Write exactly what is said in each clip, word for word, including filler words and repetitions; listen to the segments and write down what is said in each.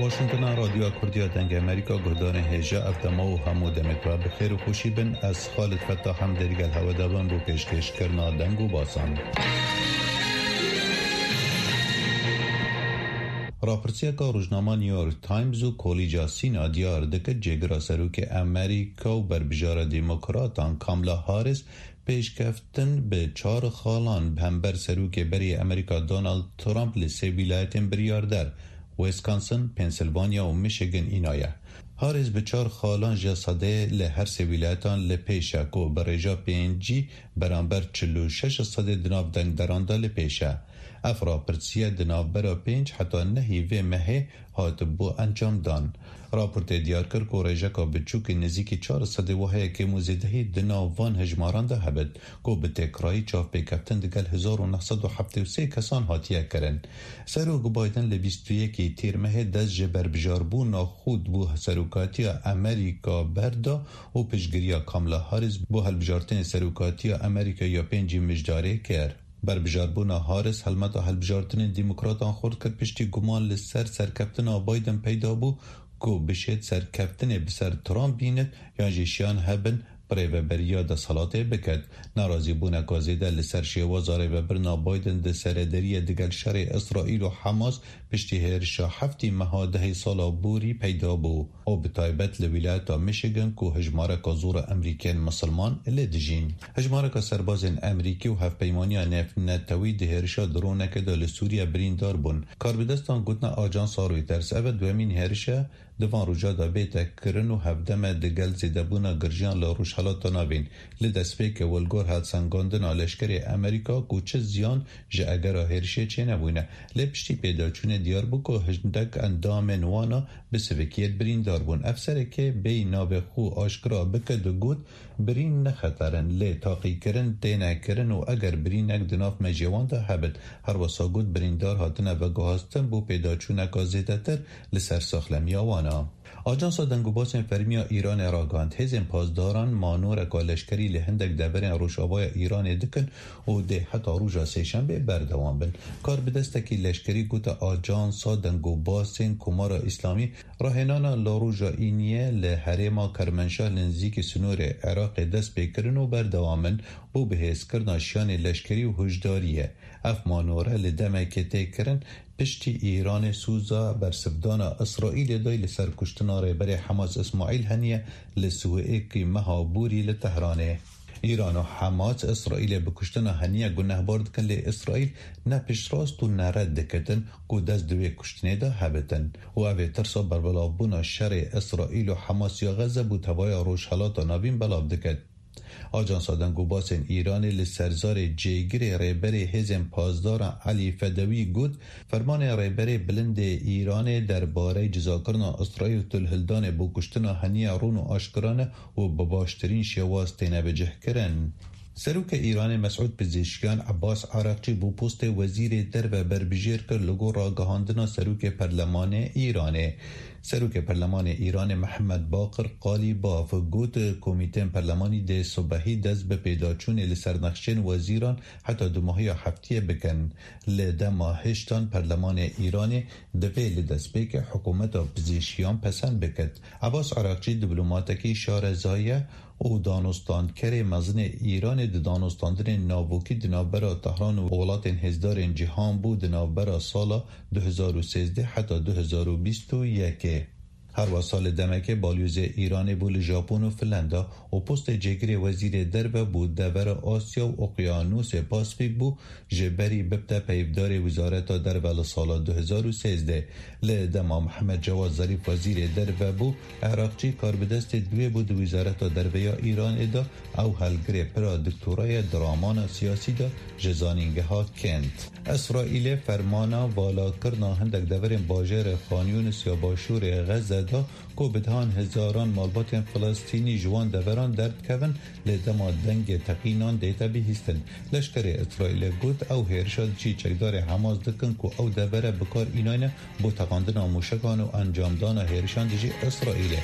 Washingtona Radyoya Kurdiya Dengê Amerîka, guhdarên hêja, ev dema û hemû demê te bi xêr û xweşî bin. Ez Xalid Fettah em dê digel hewe de bin bo pêşkêşkirina deng û basan. Rapirsiyeka rojnama New York Times û Kolîca Sîna diyar dike, cêgira serokê Amerîka û berbijara demokratan Kamala Harris pêşkeftin bi çar xalan bi hember serokê berê Amerîka Donald Trump li sê wîlayetên biryarder, Wisconsin, Pennsylvania û Michigan înaye. Harris bi çar xalan ji sedê li her sê wîlayetan li pêş e, ku bi rêja pêncî beramber çil û şeş sedê di nav dengderan de li pêş e. Ev rapirsiye di navbera pênc heta nehî vê mehê hatibû encamdan. Raportê diyar kir ku rêjeka biçûkî nêzîkî çar sedê wiha ye kêm û zêdehî di nav van hejmaran de hebit, ku bi têkrayî çavpêkeftin digel hezar û neh sed û heftê û sê kesan hatiye kirin. Serok Biden li bîst û yekê Tîrmehê dest ji berbijarbûna xwe bo serokatiya Amerîka berda û piştgiriya Kamala Harris bo hilbijartinê serokatiya Amerîka ya pêncî mijdarê kir. Berbijarbûna Harris helmeta hilbijartinên demokratan xurt kir, piştî guman li ser serkeftina Biden peyda bû, ku bişêt serkeftinê bi ser Trump bînit yan jî şiyan hebin bi rêveberiya desthilatê biket. Nerazîbûneka zêde li ser şêwaza rêvebirina Biden di serederiyê digel şerê Îsraîl û Hamas piştî hêrişa heftê meha dehê sala borî peyda bû. û bi taybet li wîlayeta Michigan ku hejmareka zor a Emerîkên Misilman lê dijîn. Hejmareka serbazên Emerîkî û Hevpeymaniya Navnetewî di hêrişa dronekê de li Sûriye birîndar bûn. Karbidestan gotina ajansa Reuters, ev e duhemîn hêriş e di van roja de bête kirin û hevdem e digel zêdebûna girjiyan li Rojhelata Navîn. Li destpêkê li gor helsengandina leşkerê Emerîka ku çi ziyan ji egera hêrişê çênebûne. Lê piştî pêdaçûnê diyar bû ku hindek endamên wana bi sivikiyê birîndar bûn. Ev serekê bêyî navê xwe aşkira bike digot, birîn ne xeter in, lê taqîkirin têne kirin û eger birînek di nav mejiyê wan de hebit. Her wisa got, birîndar hatine veguhastin bo pêdaçûneka zêdetir li ser saxlemiya wan e. Ajansa Dengûbasên Fermî ya Îranê ragihand, hêzên pasdaran manoreka leşkerî li hindek deverên rojavaya Îranê dikin û dê heta roja sêşembê berdewam bin. Karbidestekî leşkerî gote Ajansa Dengûbasên Komara Îslamî rahênana li roja Îniyê li herêma Kermenşah li nizîkî sînorê Iraqê dest pê kirin û berdewam in bo bihêzkirina şiyanê leşkerî û hişdariyê. Ev manore li demekê tê kirin, piştî Îranê sûza bersivdana Îsraîlê dayî li ser kuştina rêberê Hamas Îsmaîl Heniye li sê û yekê meha borî li Tehranê. Îran û Hamas Îsraîlê bi kuştina Heniye gunehbar dikin, lê Îsraîl ne piştrast û ne red dikitin ku dest di wê kuştinê de hebitin û ev ê tirsa berbelavbûna şerê Îsraîl û Hamas ya Xezze bo tevaya Rojhelata Navîn belav diket. Ajansa Dengûbasên Îranê li serzarê cêgirê rêberê hêzên pasdaran Elî Fedewî got, fermanê rêberê bilind ê Îranê derbarey cizakirina Îsraîl û tilhildanê bo kuştina Heniye rûn û aşkira ne û bi baştirîn şêwaz têne bicihkirin. Serokê Îranê Mesûd Pizîşkiyan Ebas Araqçî bo postê Wezîrê Derve berbijêr kir li gor ragihandina Serokê Perlemanê Îranê. Serokê Perlemanê Îranê Mihemed Baqir Qalîbaf got, komîtên perlemanî dê sibehî dest bi pêdaçûnê li ser nexşên wezîran heta dumahiya heftiyê bikin. Li dema hiştan perlemanê Îranê divê li destpêkê hikûmeta Pizîşkiyan pesend biket. Ebas Araqçî dîplomatekî şareza ye û danûstandkerê mezin ê Îranê di danûstandinên navokî di navbera Tehran û welatên hêzdarên cîhan bû di navbera sala du hezar û sêzdeh heta du hezar û bîst û yekê. Her wisa li demekê balyozê Îranê bû li Japon û Finlanda û postê cêgirê wezîrê derve bû devera Asya û Okyanusê Pasifîk bû, ji berî bibte peyvdarê Wizareta Derve li sala du hezar û sêzdeh. Li dema Mihemed Cewad Zarîf wezîrê derve bû, Iraqçî karbidestê duê bû di Wizareta Derve ya Îranê de, ew helgirê pira doktorayê di ramana siyasî de ji zanîngeha Kent. Îsraîlê fermana valakirina hindek deverên bajêrê Xan Yûnis ya başûrê Xezze da ku bi dehan hezaran malbatên Filistînî ji wan deveran derdikevin, lê dema dengê teqînan dête bihîstin. Leşkerê Îsraîlê got, ew hêrişa dijî çekdarê Hamas dikin ku ew devere bi kar înayne bo teqandina mûşekan û encamdana hêrişan dijî Îsraîlê.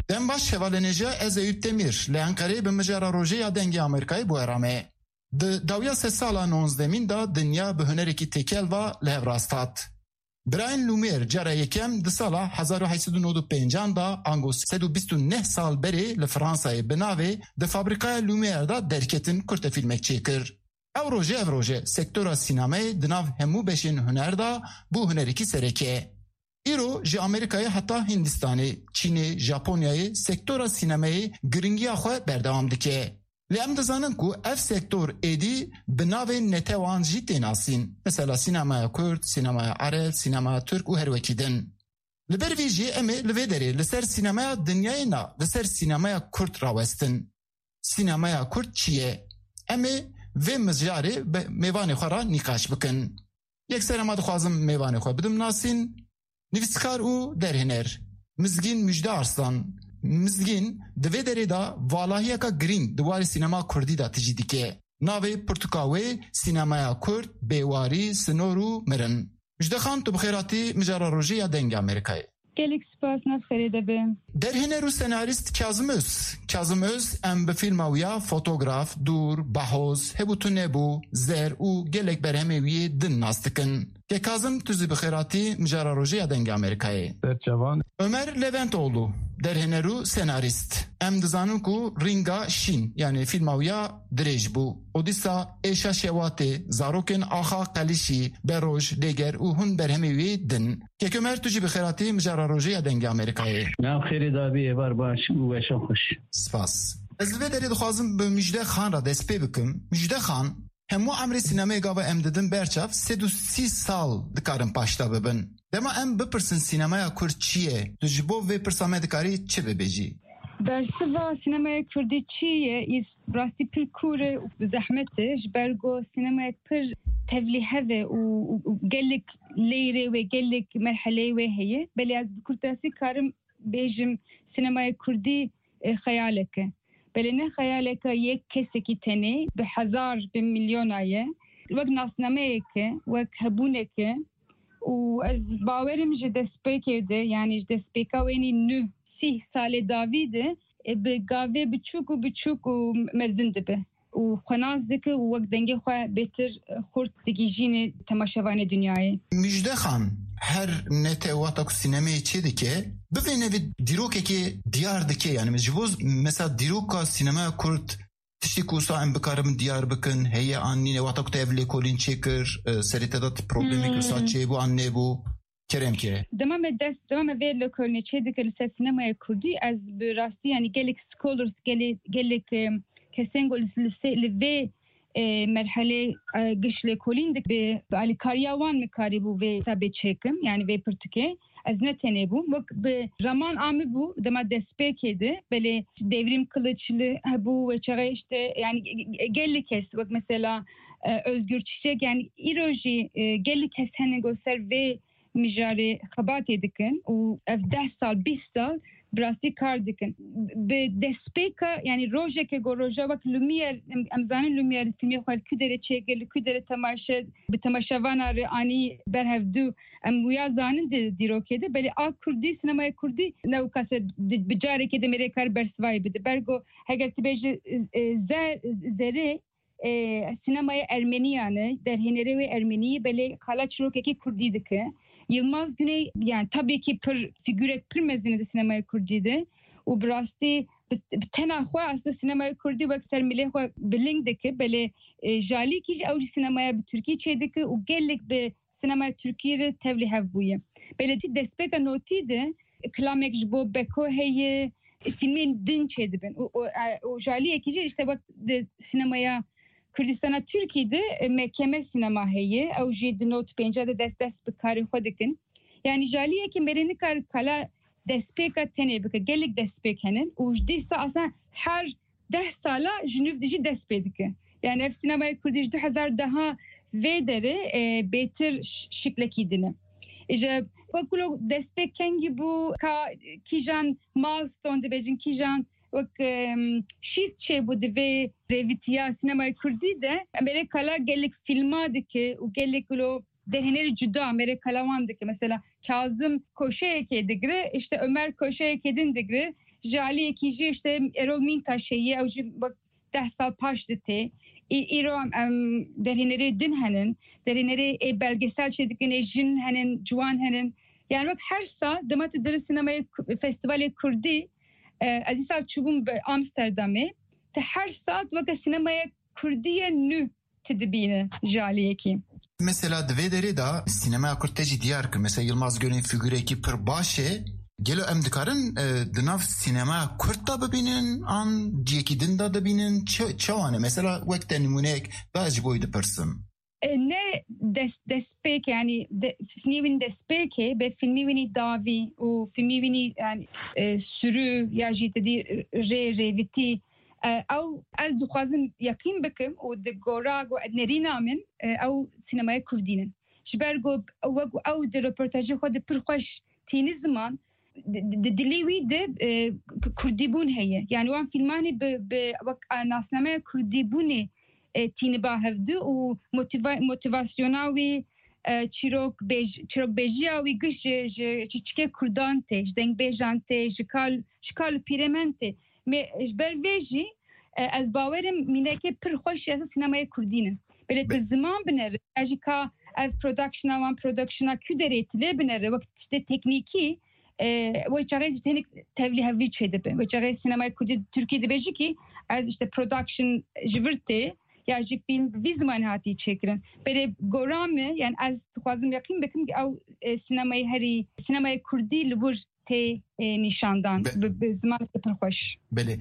Dem baş, hevalên hêja, ez Eyüp Demir. Li Enqereyê bi mijara rojê ya Dengê Amerîkayê bi we re me. Di dawiya sedsala nonzdemîn de dinya bi hunerekî têkel ve li hev rast hat. Birayên Lumière cara yekem di sala hezar û heşt sed û nod û pêncan de, ango sed û bîst û neh sal berê, li Fransayê bi navê di fabrîkaya Lumière de derketin kurtefîlmek çêkir. Ew rojê ev roj e, sektora sînemeyê di nav hemû beşên huner de bû hunerekî sereke. Îro ji Amerîkayê heta Hindistanê, Çînê, Japonyayê sektora sînemeyê giringiya xwe berdewam dike. Lê em dizanin ku ev sektor êdî bi navên netewan jî tê nasîn. Mesela sînemaya kurd, sînemaya ereb, sînemaya tirk û her wekî din. Li ber vê jî em ê li vê derê li ser sînemaya dinyayê na, li ser sînemaya kurd rawestin. Sînemaya kurd çi ye? Em ê vê mijarê bi mêvanê xwe re nîqaş bikin. Yekser ema dixwazim mêvanê xwe bidim nasîn. Nivîskar û derhêner Mizgîn Mujde Arslan. Mizgîn di vê derê de valahiyeka girîng di warê sînema kurdî de tijî dike. Navê pirtûka wê Sînemaya Kurd, Bêwarî, Sinor û Mirin. Mujde Xan, tu bi xêr hatî mijara rojê ya Dengê Amerîkayê. Gelek spas, nav xêrê de be. Derhêner û senarîst Kazim Öz. Kazim Öz, em bi fîlma wî ya Fotograf, Dûr, Bahoz, Hebû Tu Nebû, Zer û gelek berhemê wî yê din nas dikin. Ke Kazim, tu zî bi xêr hatî mijara rojê ya Dengê Amerîkayê. Ser çavan. Ömer Leventoğlu, derhêner û senarîst. Em dizanin ku Rînga Şîn, yanî fîlma wî ya dirêj bû. Û dîsa Êşa Şewatê, Zarokên Axa Qelişî, Beroj, Lêger û hûn berhemê wî din. Kek Ömer, tu jî bi xêr hatî mijara rojê ya Dengê Amerîkayê. Nav xêrê dabî, êvar baş û weşan xweş. Spas. Ez li vê derê dixwazim bi Mujde Xan re dest pê bikim. Mujde Xan, hemû emrê sînemeyê gava em didin berçav, sed û sî sal dikarin paşda bibin. Dema em bipirsin sînemaya kurd çi ye, tu ji bo vê pirsa me dikarî çi bibêjî? Bersiva sînemaya kurdî çi ye? Î rastî pir kûr e û zehmet e. Ji ber ku sînemaya pir tevlîhev e û, û, û gelek lêrê wê, gelek merheleyê wê heye. Belê ez bi kurtasî karim bêjim, sînemaya kurdî, e, xeyalek e. Belê ne xeyaleka yek kesekî tenê, bi hezar, bi milyona ye. Wek nasnameyek e, wek hebûnek e. Û ez bawerim ji destpêkê de, yanî ji destpêka wênî nû sîh salê dawî de, e, bi gavê biçûk û biçûk û mezin dibe. Û xwenas dike û wek dengê xwe bêtir, e, xurt digihîjîne temaşevanê dinyayê. Mujde Xan, her nete wexta ku sînemeyê çê dike, bivêne vê dîrokekê diyar dike, yanî ji bo mesela dîroka sînemeya kurd tiştê ku wisa em bikarin diyar bikin, heye an nîne, wexta ku te ev lêkolîn çêkir, e, serê te de problemek wisa Hmm. çêbû an nebû? Kerem ke. Dema me dest, dema me vê lêkolînê çê dike li ser sînemaya kurdî, ez bi rastî, yanî gelek scholars, gelê-, gelek, e, kesên ku li, li se-, li vê, e, merhelê, e, giş lêkolîn dik bi, bi alîkariya wan min karîbû vê kitabê çêkim, yanî vê pirtûkê. Ez ne tenê bûm. Wek bi raman amî bû, dema destpêkê de, belê Devrîm Kiliçli hebû, wê çaxê işte, yanî ge-, ge-, gelek kes, wek mesela, e, Özgür Çiçek, yanî îro jî, e, gelek kes hene ku ser vê mijarê xebatê dikin û ev deh sal, bîst sal bi rastî kar dikin. Bi destpêka, yanî rojeke ku roja wek Lumière, em, em zanin Lumière li timî xwe li ku derê çêkir, li ku derê temaşe, bi temaşevana re anî ber hevdû, em wiya zanin di dîrokê de, belê a kurdî, sînemaya kurdî ne wika se di, bi carekê de mêrê kar bersivayê bide. Ber ku heger tu bêjî, e, e, zer-, zerê, e, sînemaya ermenî ya ne, derhênerê wê ermenî, belê qala çîrokekî kurdî dike. Yilmaz Güney, yani tabii ki pir fîgurek pir mezin e di sînemaya kurdî de û bi rastî bi, bi tena xwe aslında sînemaya kurdî wek ser milê xwe bilind dike, belê, e, jalîkî jî ew jî sînemaya bi tirkî çê dike û gelek bi sînemaya tirkî re tevlî hev bûye. Belê destpêka notî de kilamek ji bo Beko heye, fîlmên din çêdibin. Û, û, e, û jaliyekî jî işte wek di sînemaya Kurdistana Tirkî de, e, M K M sînema heye. Ew jî di nod pênca de dest dest bi karê xwe dikin. Yani jaliyekî mêrê nikare kala destpêka tenê bike. Gelek destpêk hene û ji dîsa aslında her deh sala ji nû dijî dest pê dike. Yani ev sînemaya kurdî ji du hezar deha vê derê, e, bêtir ş-, şiklekî din e. Îja wek ku lo destpêk kengî bû, ka kîjan milestone dibêjin, kîjan wek, em, şîst çêbû di vê rêvîtiya sînemaya kurdî de, em ê kala gelek fîlma dike û gelek lo derhênerî cuda mêrê kala wan dike. Mesela Kazim koşeyekê digire, işte Ömer koşeyekê din digire. Ji aliyekî jî işte Erol Mintaş heye, ew jî wek deh sal paş de tê. Î-, îro em, em derhênerê din henin, derhênerê ê belgesel çêdikin, ê jin henin, ciwan henin. Yani wek her sal dema tu dirin sinemaya ku-, festivalê Kurdî, e, ez îsal çûbûm bi Amsterdamê, tu her sal weke sinemaya Kurdî ye nû tu dibîne ji aliyekî. Mesela di vê derê de sînemeya Kurd te jî diyar kir. Mesela Yilmaz Gönül fîgurekî pir baş e. Gelo em dikarin, e, di nav sînemeya Kurd de bibînin an ciyekî din de dibînin? Çi, çawa ne? Mesela wek te nimûneyek da ez ji bo wî dipirsim. E, ne dest, destpêk, yani de, fîlmî wî destpêkê, be fîlmî wî dawî û fîlmî wî yani, e, sürü ya jî te dî rê rêvitî. E, ew ez dixwazim yeqîn bikim û di gora ku nerîna min, e, ew sînemaya Kurdî ne. Ji ber ku wek ew di röportajê xwe de pir xweş tîni ziman, di, di, di dilê wî de, e, k-, Kurdîbûn heye. Yani wan fîlmanê bi, bi wek, e, nasnameya Kurdîbûnê, e, tîni ba hevdu û motiva-, motivasyona wî, e, çîrok bêj-, çîrokbêjiya wî giş ji, ji, ji çikê Kurdan tê, ji dengbêjan tê, ji kal, ji kal û pîrêmen tê. Me, ji ber vê jî, e, ez bawerim mîneke pir xweş ya sînemayê Kurdî ne. Belê tu Be- ziman binere, ya jî ka ev productiona wan productiona ku derê tu lê binere, wek tiştê teknîkî, e, wê çaxê jî tenik tevlî hevlî çêdibe. Wê çaxê sînemayê Kurdî Tirkî dibêjî ki ez işte production ji vir tê, ya jî fîlm bi vî zimanê hatî çêkirin. Belê gora me, yani ez dixwazim yeqîn bikim ki ew, e, sînemayê herî, sînemayê Kurdî li wir tê, e, nîşandan. Be- bi, bi zimaneke pir xweş. Belê.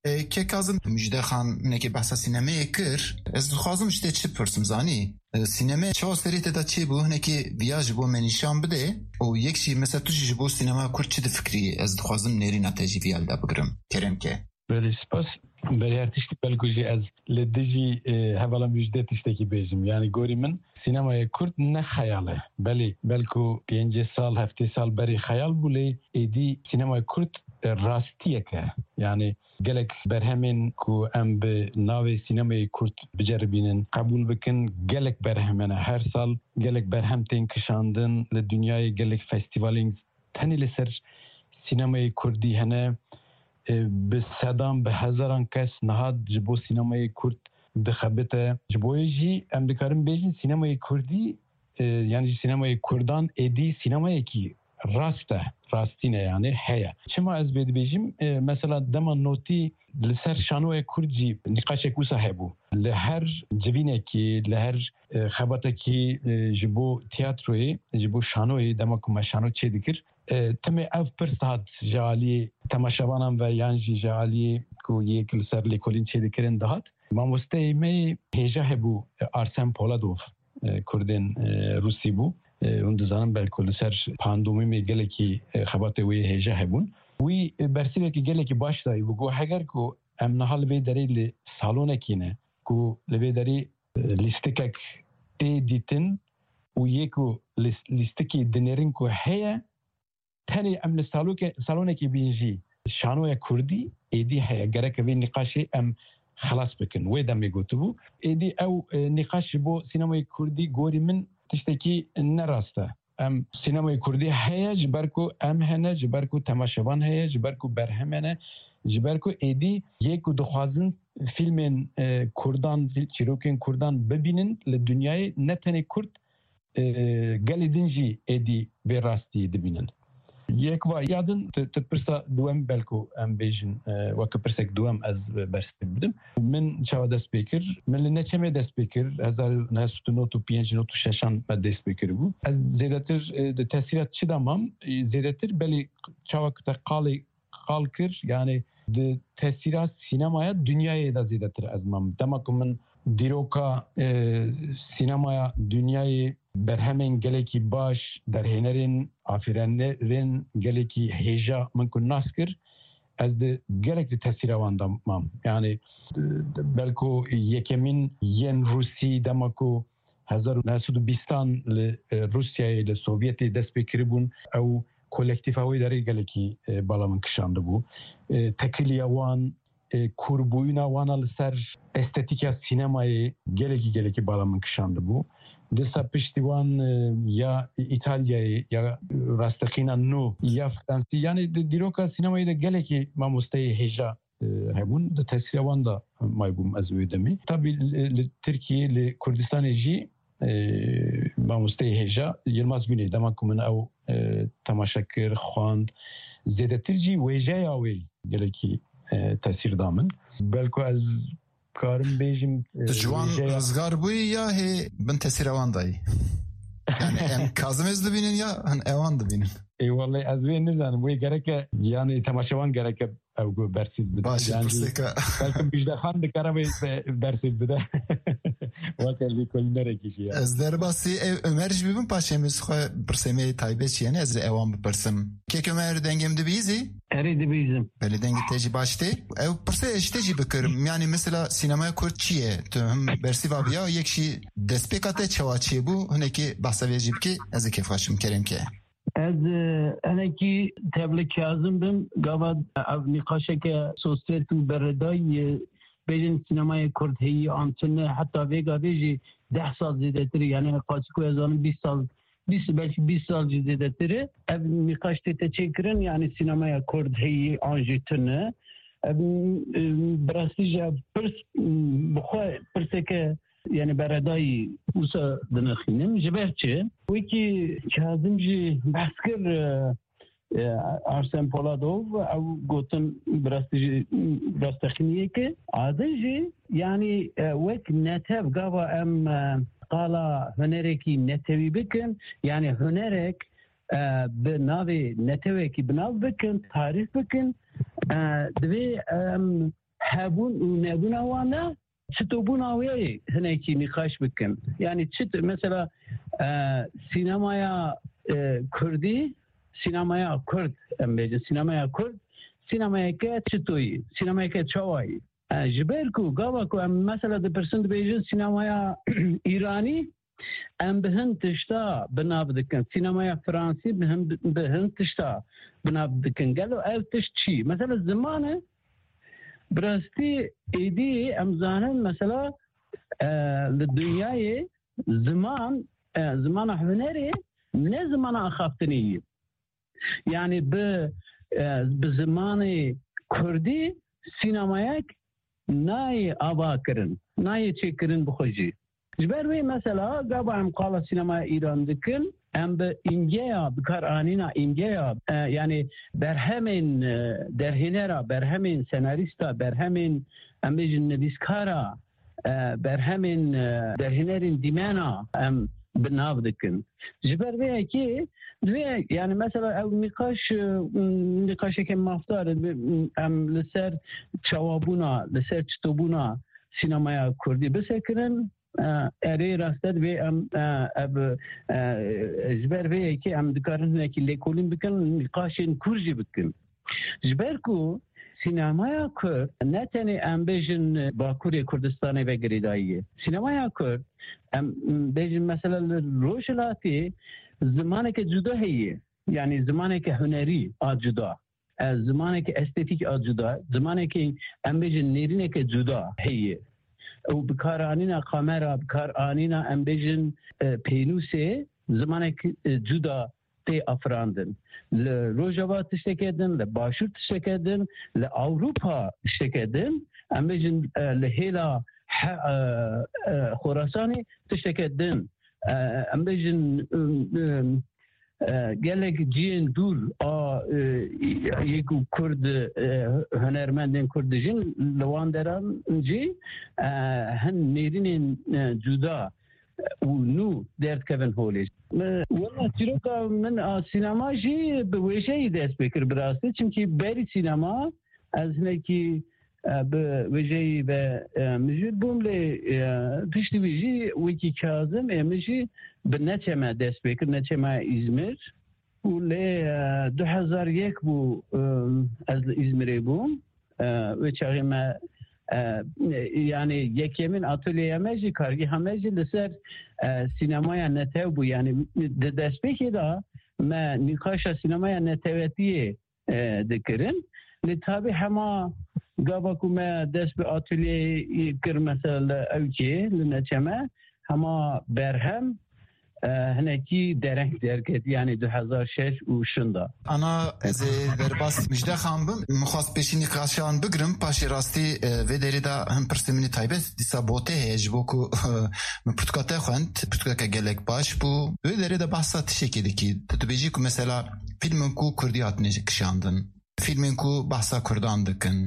E, Kek Kazim, Müjde Xan hinekî behsa sînemeyê kir. Ez dixwazim ji te çi pirsim, zanî? E, sîneme çawa serê te de çêbû, hinekî viya ji bo me nîşan bide û yek jî mesela tu jî ji bo sînema Kurd çi difikirî? Ez dixwazim nêrîna te jî viya li de bigrim. Kerem ke. Belê, spas. Belê, her tiştî belkû jî ez li dijî, e, hevala Müjde tiştekî bêjim. Yani gorî min sînemaya Kurd ne xeyal e. Belê, belkû pêncî sal, heftê sal berê xeyal bû, lê êdî sînemaya Kurd, e, rastiyek e. Yani gelek berhemên ku em bi navê sînemayê Kurd biceribînin, qebûl bikin, gelek berhem hene. Her sal gelek berhem tên kişandin li dinyayê, gelek festîvalên tenê li ser sînemayê Kurdî hene. E, bi sedan, bi hezaran kes niha ji bo sînemayê Kurd dixebite. Ji bo yê jî em dikarin bêjin sînemayê Kurdî, e, yani jî sînemayê Kurdan êdî sînemayekî rast e, rastî ne yani heye. Çima ez vê dibêjim? E, mesela dema notî li ser şanoya Kurd jî nîqaşek wisa hebû. Li her civînekî, li her, e, xebatekî, e, ji bo tiyatroyê, ji bo şanoyê, dema ku me şano çêdikir, e, timê ev pirs dihat ji aliyê temaşevanan ve yan jî ji aliyê ku yek li ser lêkolîn çêdikirin dihat. Mamosteyê me hêja hebû, e, Arsen Poladov, e, Kurdên, e, Rûsî bû. E, hûn dizanin belku li ser pandomîmê gelekî, e, xebatê wê hêja hebûn. Wî, e, bersivekî gelekî baş dayî bû. Got, heger ku em niha li vê derê li salonekî ne, ku li vê derê, e, lîstikek tê dîtin û yê ku lîs-, lîstikî dinêrin ku heye, tenê em li saloke-, salonekê bîn jî şanoya Kurdî êdî heye. Gerek vê nîqaşê em xelas bikin. Wê demê gotibû. Êdî ew, e, nîqaş ji bo sînemayê Kurdî gorî min tiştekî ne rast e. Em sînemayê Kurdî heye ji ber ku em hene, ji ber ku temaşevan heye, ji ber ku berhem hene, ji ber ku êdî yê ku dixwazin fîlmên, e, Kurdan, fîl-, çîrokên Kurdan bibînin li dinyayê ne tenê Kurd, e, gelê din jî êdî vê rastiyê dibînin. Yek va ya din, tu, tu pirsa duwem belku em bêjin, e, weke pirsek duwem ez bersiv bidim. Min çawa dest pê kir? Min li Neçemê dest pê kir. Hezar neh sed û nod û pênc nod û şeşan me dest pê kiribû. Ez zêdetir, e, di tesîra çi de mam? E, zêdetir belê çawa ku te qalê qal kir, yani di tesîra sînemaya dinyayê de zêdetir ez mam. Dema ku min dîroka, e, sînemaya dinyayê, berhemên gelekî baş, derhênerên, afîrenerên gelekî hêja min ku nas kir, ez di gelek di tesîra wan de mam. Yani, e, belku yekemîn yên Rûsî dema ku hezar û neh sed û bîstan li, e, Rûsyayê, li Sovyetê dest pê kiribûn, ew kolektîfa wê derê gelekî, e, bala min kişandibû. E, tekiliya wan, e, kûrbûyîna wana li ser estetîka sînemayê gelekî, gelekî bala min kişandibû. Dîsa piştî wan, e, ya Îtalyayê, ya rasteqîna nû, ya Fransî, yanî di dîroka sînemayê de gelekî mamosteyê hêja, e, Hûn di tesîra wan de maybûm ez wê demê. Tabî li, li Tirkiyê, li Kurdistanê jî, e, mamosteyê hêja Yilmaz Güney, dema ku min ew, e, temaşe kir, xwend, zêdetir jî wêjeya wê gelekî, e, tesîr da min. Belku ez karim bêjim, e, Tu ji wan wêjeya rizgar bûyî ya hê bin tesîra wan dayî? Yani em Kazim Ez dibînin ya hin ewan dibînin? Ê, wellahî ez wê nizanim. Wê gereke, yani temaşevan gereke ew ku bersîv bide. Baş e, Yani pirseka. Belkim Bijde Xan dikare wê be-, bersîv bide. Weke lêkolînerekî jî ya. Ez derbasî ev Ömer jî bibim, paşê min xwe pirsê me yê taybet jî, yani ez ê ewan bipirsim. Kek Ömer, dengê min dibîzî? Erê, dibîzim. Belê, dengê te jî baş tê. Ew pirsê ez ji te jî bikirim. Yani mesela sînemaya Kurd çi ye? Tu him bersîva biya, yek jî destpêka te çawa çêbû? Hinekî behsa vê jî bikî, ez ê kêfxweş bim, kerem ke. Ez, e, hinekî tevli Kazim bim. Gava ev nîqaşeke sosyet û beredayî, e, bêjin sînemayê Kurd heyî an tune, heta vê gavê jî deh sal zêdetir e. Yani qasî ku ez zanim bîst sal, bîst, belkî bîst sal jî zêdetir e. Ev nîqaş tête çêkirin, yani sînemaya Kurd heyî an jî tune. Ev, e, bi rastî jî ev pirs, e, bi xwe pirseke, yani beredayî wisa dinexînim. Ji ber çi? Wekî Kazim jî behs kir, e, e, Arsen Poladov, ew gotin bi rastî jî, rastexîniyê ke. A din jî, yani, e, wek netew gava em, e, qala hunerekî netewî bikin, yani hunerek, e, bi navê netewekî bi nav bikin, tarîf bikin, e, divê em hebûn û nebûna wan de çitobûna wê hinekî nîqaş bikin. Yani çit, mesela, e, sînemaya, e, Kurdî, sînemaya Kurd, em bêjin, sînemaya Kurd, sînemayeke çitoyî, sînemayeke çawayî. E, ji ber ku gava ku em mesela dipirsin dibêjin sînemaya Îranî, em bi hin tişta bi nav dikin. Sînemaya Fransî bi hin, bi hin tişta bi nav dikin. Gelo ev tişt çi? Mesela ziman e, bi rastî êdî em zanin mesela, e, li dinyayê ziman, e, zimana hunerê ne zimana axaftinê ye. Yani bi, e, bi zimanê Kurdî sînemayek nayê ava kirin, nayê çêkirin bi xwe jî. Ji ber wê mesela gava em qala sînemaya Îran dikin, em bi îmgeya, bi kar anîna îmgeya, e, yani berhemên, e, derhênera, berhemên senarîsta, berhemên, em bêjin, nivîskara, e, berhemên, e, derhênerên dîmena em bi nav dikin. Ji ber vê yekê, divê, yani mesela ew nîqaş, e, nîqaşeke mafdar e, em li ser çawabûna, li ser çitobûna sînemaya Kurdî bisekirin. E, erê, rast e, divê em, e, ev, e, ji ber vê yekê em dikarin hinekî lêkolîn bikin, nîqaşên kûr jî bikin. Ji ber ku sînemaya Kurd ne tenê em bêjin Bakurê Kurdistanê ve girêdayî ye. Sînemaya Kurd, em bêjin mesela li Rojhilatê zimaneke cuda heye. Yani zimaneke hunerî a cuda. E, zimaneke estetîk a cuda, zimaneke em bêjin nêrîneke cuda heye. Û bikaranîna kamera, bikaranîna em bêjin, e, pênûsê zimanek, e, cuda tê afirandin. Li Rojava tişteke din, li Başûr tişteke din, li Ewropa tişteke din, em bêjin, e, li hêla he-, e, e, Xorasanê tişteke din. E, em bêjin, e, e, e, gelek cihên dûr a, e, yê ku Kurd, e, hunermendên Kurd dijîn, li wan deran jî, e, hin nêrînên, e, cuda û nû derdikevin holê. Wela çîroka min a sînema jî bi wêjeyî dest pê kir bi rastî. Çimkî berî sînema ez hinekî, e, bi wêjeyî ve, e, mijûl bûm, lê, e, piştî wî jî wekî Kazim ê min jî bi neçeme dest pê kir, neçema Îzmir. Û lê, e, du hezar yek bû, e, ez li Îzmirê bûm. E, wê çaxê me, e, yani yekemîn atolyeya me jî, kargeha me jî li ser, e, sînemaya netew bû. Yani di destpêkê de me nîqaşa sînemaya netewetiyê, e, dikirin. Lê tabî hema gava ku me dest bi atolyeyê kir, mesela li Ewkê, li Neçeme, hema berhem, e, hinekî dereng derketî, yanî du hezar şeş û şinda. Ana, ez ê derbas Mijde Xan bim. Min xwest pêşî nîqaşan bigirim, paşê rastî, e, vê derê de hin pirsê min ê taybet dîsa bo te heye, ji bo ku, e, min pirtûka te xwend, pirtûkeke gelek baş bû. Wê derê de behsa tiştekê dikî. Tu dibêjî ku mesela fîlmên ku kurdî hatine kişandin, fîlmên ku behsa kurdan dikin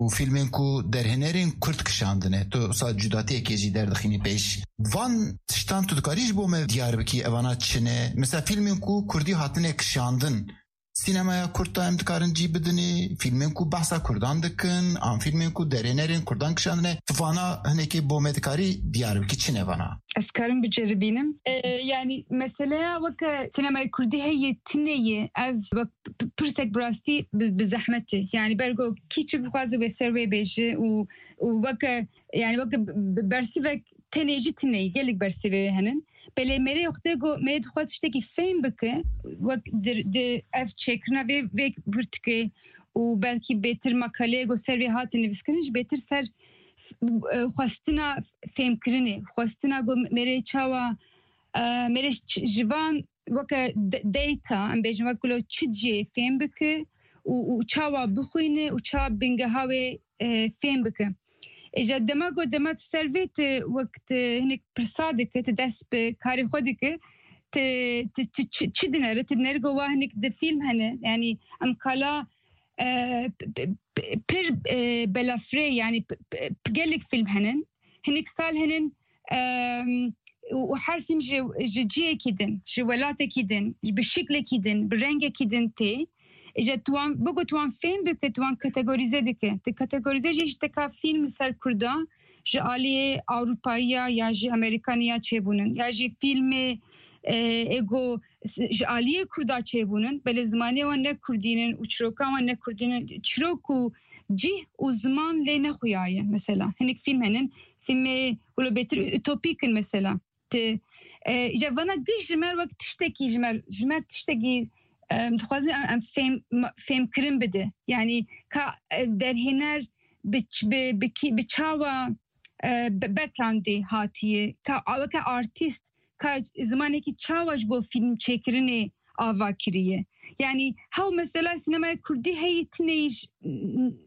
û fîlmên ku derhênerên kurd kişandine, tu wisa cudatiyekê jî derdixînî pêş. Van tiştan tu dikarî ji bo me diyar bikî, evana çi ne? Mesela fîlmên ku kurdî hatine kişandin, sînemaya kurd de em dikarin cî bidinê, fîlmên ku behsa kurdan dikin, an fîlmên ku derhênerên kurdan kişandine, tu vana hinekê bo me dikarî diyar bikî, çi ne vana? Ez karim biceribînim. E, yanî meseleya weke sînemaya kurdî heye, tune ye. Ev wek p-, pirsek bi rastî bi, bi zehmet e. Yanî ber ku kî çi bixwaze wê ser wê bêje û, û weke, yanî weke b-, b-, bersivek tenê jî tune ye. Gelek bersivê wê henin. Belê mêrê xwe ku mêrê dixwaz tiştekî fêm bike, wek di, di ev çêkirina vê, vê pirtûkê û belkî bêtir makaleyê ku ser vê hate nivîskirin jî bêtir ser, e, xwestina fêmkirinê, xwestina ku mêrê çawa, e, mêrê ç-, ji van weke de-, data, em bêjin wek ku lo çi cihê fêm bike û, û çawa bixwîne û çawa bingeha wê, e, fêm bike. Îja dema ku dema tu ser vê tu wek tu hinek pirsa dike, tu dest bi karê xwe dike, tu, tu, tu çi, çi dinere? Tu dinere ku wa hinek di fîlm hene. Yanî em kala, e, p-, p-, p-, pir, e, belafirê, yanî p-, p-, p-, gelek fîlm henin. Hinek sal henin, em, û, û her fîlm ji, ji cihekî din, ji welatekî din, bi şiklekî din, bi rengekî din tê. Îja tu wan, biko tu wan fêm bike, tu wan kategorîze dike. Tu kategorîze jî ji teka fîlm li ser Kurda, ji aliyê Ewropayiya ya ji Amerîkaniya çêbûnin, ya jî fîlmê, e, ê ku ji aliyê Kurda çêbûnin, belê zimanê wan ne Kurdî nin û çîrokan wan ne Kurdî nin. Çîrok û cih û ziman lê nexuyaye, mesela. Hinek fîlm henin, fîlmê wilo bêtir utopîk in, mesela. Ti, e, îja vana giş ji me wek tiştekî, ji me, ji me tiştekî, e, dixwazin em, em fêm, fêmkirin bide. Yanî ka, e, derhêner bi ç-, bi, bi kî, bi çawa, e, bi, backgroundê hatiye, ka weke artîst, ka zimanekî çawa ji bo fîlm çêkirinê ava kiriye. Yanî hew mesela sînemaya kurdî heyî tineyî j-,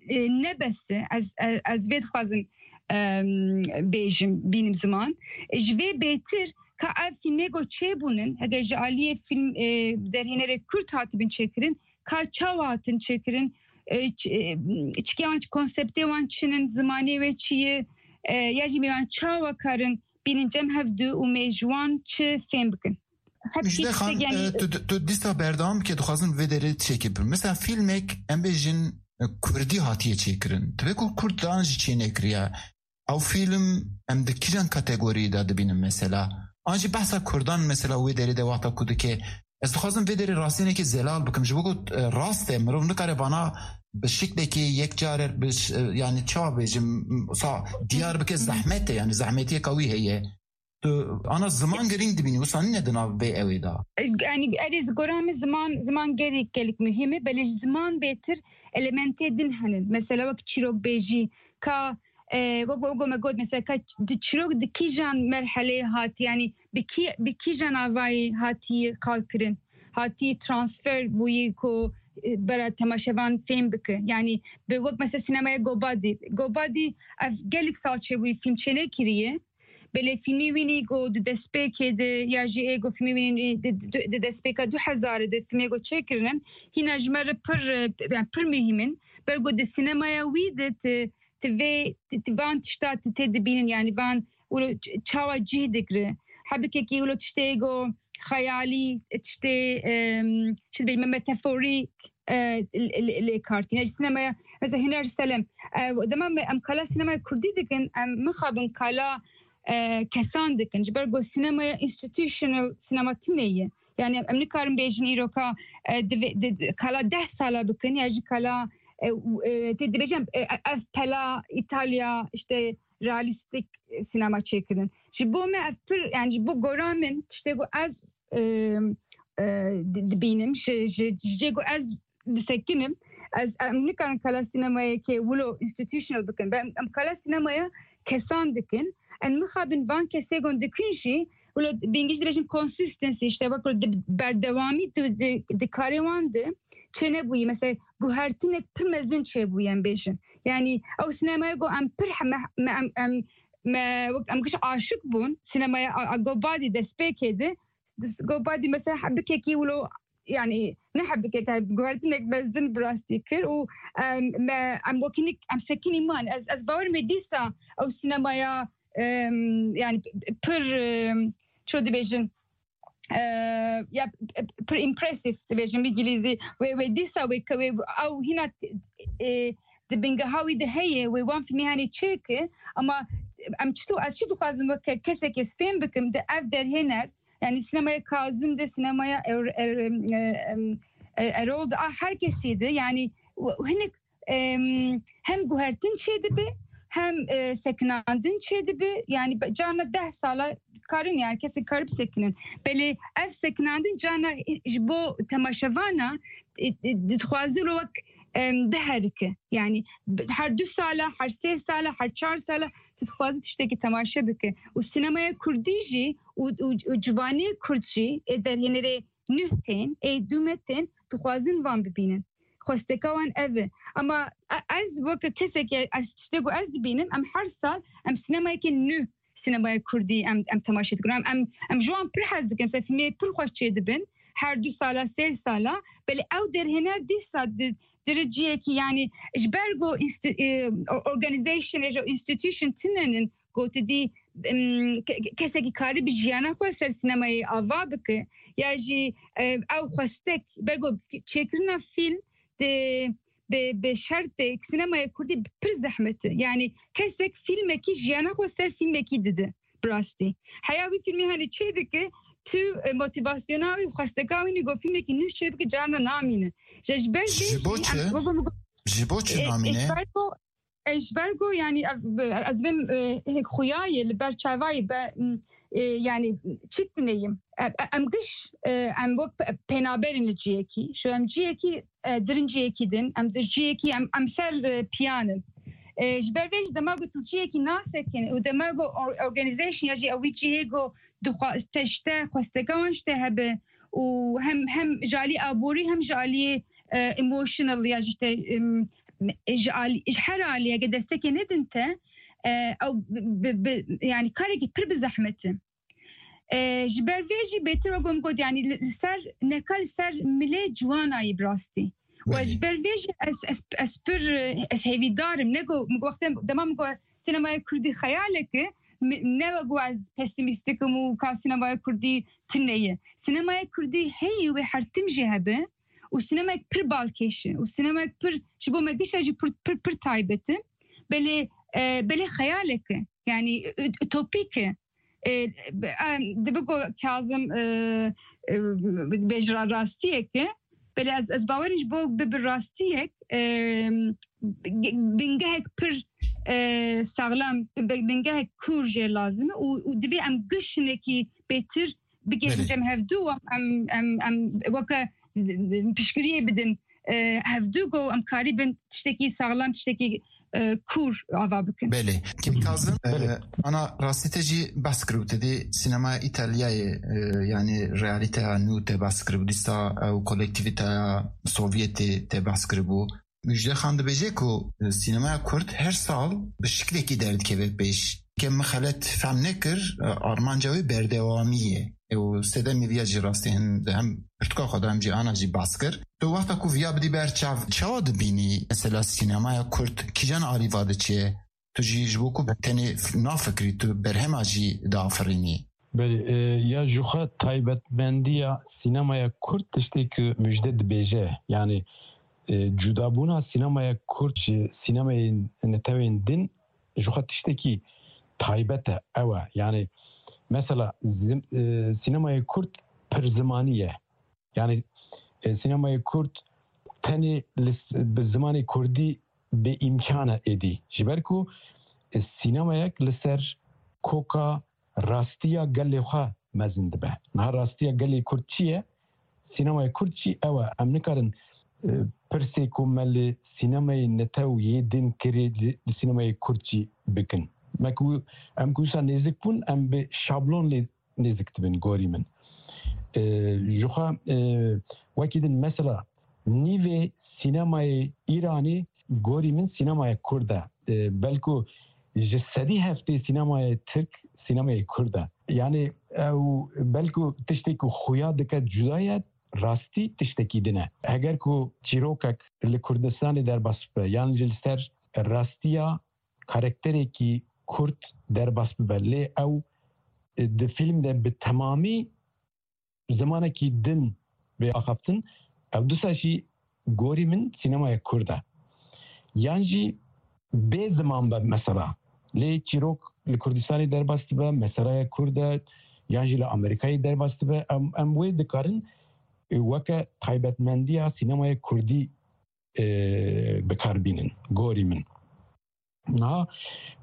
e, ne bes e. Ez, e, ez vê dixwazim, em, bêjim, bînim ziman. E, ji vê bêtir ka ev fîlmê ku çêbûnin, heke ji aliyê fîlm, e, derhênerê kurd hatibin çêkirin, ka çawa hatin çêkirin, e, ç-, e, çikiya wan, konseptê wan çi nin, zimanê wê çi ye, e, ya jî mêvan çawa karin bînin cem hevdu û mêj wan çi fêm bikin. Hep Mijde Xan, yanî, e, tu, tu dîsa berdewam bike, dixwazim vê derê çêkê bim. Mesela fîlmek, em bêjin, e, kurdî hatiye çêkirin. Divê ku kurdan jî çênekiriye. Ew fîlm em di kîjan kategoriyê de dibînin mesela? An jî behsa kurdan mesela wê derê de wexta ku dike. Ez dixwazim vê derê rastînekê zelal bikim. Ji bo ku, e, rast e, mirov nikare vana bi şiklekê yek care bi ş-, e, yanî çawa bêjim, sa diyar bike zehmet e, yanî zehmetiyeka wî heye. Tu ana ziman girîng dibînî, wisa nîne di nav vê ewê de. E, yanî erê ji gora min ziman, ziman gelek, gelek muhîm e, belê ji ziman bêtir elementê din henin. Mesela wek çîrokbêjî, ka, e, wek, wek me got, mesela ka di çîrok di kîjan merheleyê hatî, yanî bi kî, bi kîjan avayî hatî qal kirin, hatî transfer bûyî ku, e, bera temaşevan fêm bike. Yanî bi wek mesela sînemaya Gobadî. Gobadî ev gelek sal çêbûyî fîlm çênekiriye. Belê fîlmê wînî ku di destpêkê de ya jî ê ku fîlmê wînî di, di, di destpêka du hezarê de fîlmê ku çêkirinin, hîna ji me re pir, e, yani pir muhîm in. Ber ku di sînemaya wî de ti, ti vê, ti, ti van tişta ti tê dibînin, yani van wilo ç-, çawa cih digre. Hebikekî wilo tiştê ku xeyalî, tiştê, em, çi dibêjim, metaforîk, e, lê, lê, lê kartîne. Ji sînemaya, mesela Huner Selem, e, dema me, em kala sînemaya kurdî dikin, em mixabin kala, e, kesan dikin. Ji ber ku sînemaya institutional sînema tune ye. Yani em nikarin bêjin îroka, e, divê, di, di, kala deh sala bikin, ya jî kala, e, u-, e, tê dibêjin, e, ev pela Îtalya, işte, realîstîk, e, sînema çêkirin. Ji bo me ev pir, yani ji bo gora min, tiştê ku ez, e, e, di-, dibînim, ji, ji, ji cê ku ez disekinim, ez, em nikarin kala sînemayekê wilo institutional bikin. Em, em kala sînemaya kesan dikin. Em mixabin van kesê ku dikin jî, wilo bi îngilîzî dibêjin consistency, işte wek di berdewamî di, di, di karê wan de çênebûyî. Mesela guhertinek pir mezin çêbûye em bêjin. Yani ew sinemaya ku em pir he-, me, me, em, em, me, wek em giş aşik bûn sinemaya a, a Gobadî destpêkê de. Gobadî mesela hebikekî wilo, yani ne hebikek, guhertinek mezin bi rastî kir û em, me, em wekî nik, em sekinî man. Ez, ez bawer me dîsa ew sinemaya, em, yani pir, em, ço dibêjin, e, ya pir impressive dibêjin bi îngilîzî. Wê, wê dîsa wê ke wê ew hîna, e, di bingeha wî de heye, wê wan fîlmê hanê çêke, ama em çito, ez çi dixwazim weke kesekê fêm bikim, di ev derhêner, yani sinemaya Kazim de, sinemaya Er-, Er-, em, em, e, Erol de, a her kesî de, yani w-, hinek, em, hem guhertin çêdibe, hem, e, sekinandin çêdibe. Yani be-, carna deh sala karin, yani kesê karib sekinin. Belê ev sekinandin carna, e, ji bo temaşevana, e, e, dixwaze lo wek, em, diherike. Yani b-, her du sala, her sê sala, her çar sala tu dixwaze tiştekî temaşe bike. Û sinemaya kurdî jî û, û, û ciwanê kurd jî ê derhênerê nuh tên, ê dû me tên, dixwazin van bibînin. Xwesteka wan ev e. Ama e-, ez weke kesekî, ez tiştê ku ez dibînim, em her sal em sinemayeke nû, sinemaya kurdî em, em temaşe dikin. Em, em, em ji wan pir hez dikin. Mesela fîlmê pir xweş çêdibin. Her du sala, sê sala. Belê ew derhêner dîsa di, di cihekî, yani ji ber ku insti-, e, organization, ya jî institution tune nin, ku tu dî, em, ke-, ke-, kesekî karî bi jiyana xwe ser sinemayê ava bike, ya jî, e, ew xwestek, ber ku çêkirina fîlm di, bi, bi şertê sinemaya kurdî pir zehmet e. Yani kesek fîlmekî jiyana xwe ser fîlmekî dide. Bi rastî. Heya wî fîlmê hanê çê dike, tu, e, motivasyona wî, xwesteka wî nî ku fîlmekî nû çê bike, carna namîne. Ji, ji ber vê Ji bo jî, çi? em, wek min got, Ji bo çi e, namîne? Ji ber ku, e, ji ber ku, yani, ev, ez bim, e, hêk xuya ye, li ber çavayê be, m, e, yani, çi tineyim? E, e, em giş, e, em wek pe-, pênaberên li ciyekî. Şu em ciyekî, e, dirin ciyekî din, em di ciyekî, em, em ser, e, piyan in. E, ji ber vê jî dema ku tu ciyekî nasekin û dema ku or-, organization ya jî ew wî cihê ku dixwa-, te ji te xwesteka wan ji te hebe û hem, hem ji alî aborî hem ji alî, e, emotional ya jî te, em, ji alî, ji her alî heke destekê nedin te, e, ew bi, bi, bi, yani karekî pir bi zehmet e. E, ji ber vê jî bêtir wek min got, yani li, li ser, neka li ser milê ciwanayî bi rastî. Û ez Belê. ji ber vê jî ez, ez, ez pir, ez hêvîdar im. Ne ku, min got, wextê dema min got sinemaya kurdî xeyalek e, mi-, ne wek ez pesîmîstik im û ka sinemaya kurdî tune ye. Sinemaya kurdî heye wê her tim jî hebe û sinemayek pir balkêş e û sinemayek pir, ji bo me giş e jî pir, pir, pir taybet e. Belê, e, belê xeyalek e. Yani, ü-, ütopîk e. E, em, dibe ku Kazim, e, e, bêjira rastiyek e. Belê ez, ez bawerim ji bo bibe rastiyek, e, bingehek pir, e, saxlam, bi-, bingehek kûr jê lazim e û, û divê em giş hinekî bêtir bigihîjin Belê. cem hevdû û em, em, em weke piştgiriyê bidin, e, hevdû ku em karîbin tiştekî saxlam, tiştekî, e, kûr ava bikin. Belê. Kîm Kazim, e, Belê. ana rastî te jî behs kiribû, te dî sînemaya Îtalyayê, e, yanî realîteya nû te behs kiribû, dîsa ew kolektivîteya Sovyetê te behs kiribû. Mujde Xan dibêje ku, e, sînemaya Kurd her sal bi şiklekî derdikeve pêş. Ke min xelet fehm nekir, e, armanca wê berdewamî ye. Û sedemê viya jî rastî hin, hem pirtûka xwe de hem jî ana jî behs kir. Tu wexta ku viya bidî ber çav, çawa dibînî? Mesela sînemaya Kurd kîjan alî va diçe? Tu jî ji bo ku tenê f-, nafikirî, tu berhema jî diafirînî. Belê, e, ya ji xwe taybetmendiya sînemaya Kurd tiştê ku Mujde dibêje. Yani, e, cudabûna sînemaya Kurd ji sînemayên netewên din ji xwe tiştekî taybet e. Ew e. Yani, mesela, zim-, e, sînemayê Kurd pir zimanî ye. Yani, e, sînemayê Kurd tenê li s-, bi zimanê Kurdî bê îmkan e êdî. Ji ber ku, e, sînemayek li ser koka rastiya gelê xwe mezin dibe. Niha rastiya gelê Kurd çi ye? Sînemaya Kurd jî ew e. Em nikarin, e, pirsê ku me li sînemayê netew yê din kirê li, li sînemayê Kurd jî bikin. Me ku, em ku wisa nêzik bûn, em bi şablon lê nêzik dibin gorî min. E, ji xwe, e, wekî din mesela nîvê sînemayê Îranê gorî min sînemaya Kurd e. E, belku ji sedî heftê sînemaya Tirk sînemaya Kurd e. Yani ew belku tiştê ku xuya dike cuda ye, rastî tiştekî din e. Heger ku çîrokek li Kurdistanê derbas bibe, yan jî li ser rastiya karakterekî Kurd derbas bibe, lê ew, e, di fîlm de bi temamî zimanekî din bê axaftin, ew disa jî gorî min sînemaya Kurd e. Yan jî bê ziman be mesela. Lê çîrok li Kurdistanê derbas dibe, meselaya Kurd e, yan jî li Amerîkayê derbas dibe, em, em wê dikarin, e, weke taybetmendiya sînemaya Kurdî, e, bi kar bînin, gorî min. Niha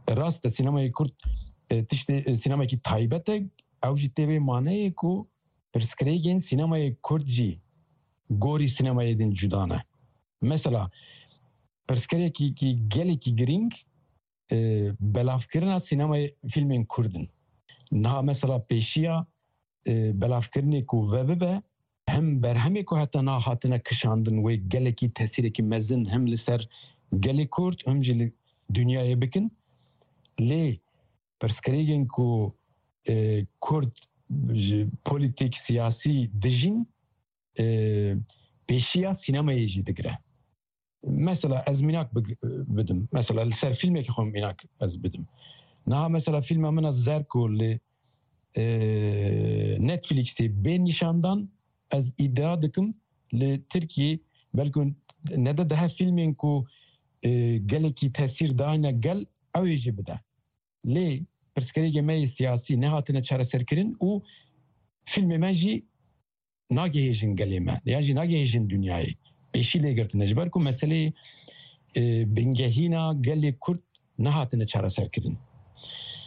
rast e, sînemayê Kurd, e, tiştê, e, sînemekî taybet e, ew jî tê vê maneyê ku pirsgirêkên sînemayê Kurd jî gorî sînemayê din cuda ne. Mesela, pirsgirêkî gelekî girîng, e, belavkirina sînemayê fîlmên Kurd in. Niha mesela pêşiya, e, belavkirinê ku vebibe, hem berhemê ku heta niha hatine kişandin wê gelekî tesîrekî mezin hem li ser gelê Kurd, hem jî li dinyayê bikin. Lê pirsgirêkên ku, e, Kurd ji polîtîk, siyasî dijîn, e, pêşiya sînemayê jî digire. Mesela ez mînak big-, bidim. Mesela li ser fîlmekî xwe mînak ez bidim. Niha mesela fîlma min a Zerko li, e, Netflixê bê nîşandan, ez îdia dikim li Tirkiyê belku nede dehe fîlmên ku, e, gelekî tesîr dayne gel, ew ê jî bide. Lê pirsgirêkê me yê siyasî nehatine çareserkirin û fîlmê me jî nagihêjin gelê me, yan jî nagihêjin dinyayê. Pêşî lê girtine. Ji ber ku meseleyê, e, bingehîna gelê Kurd nehatine çareserkirin.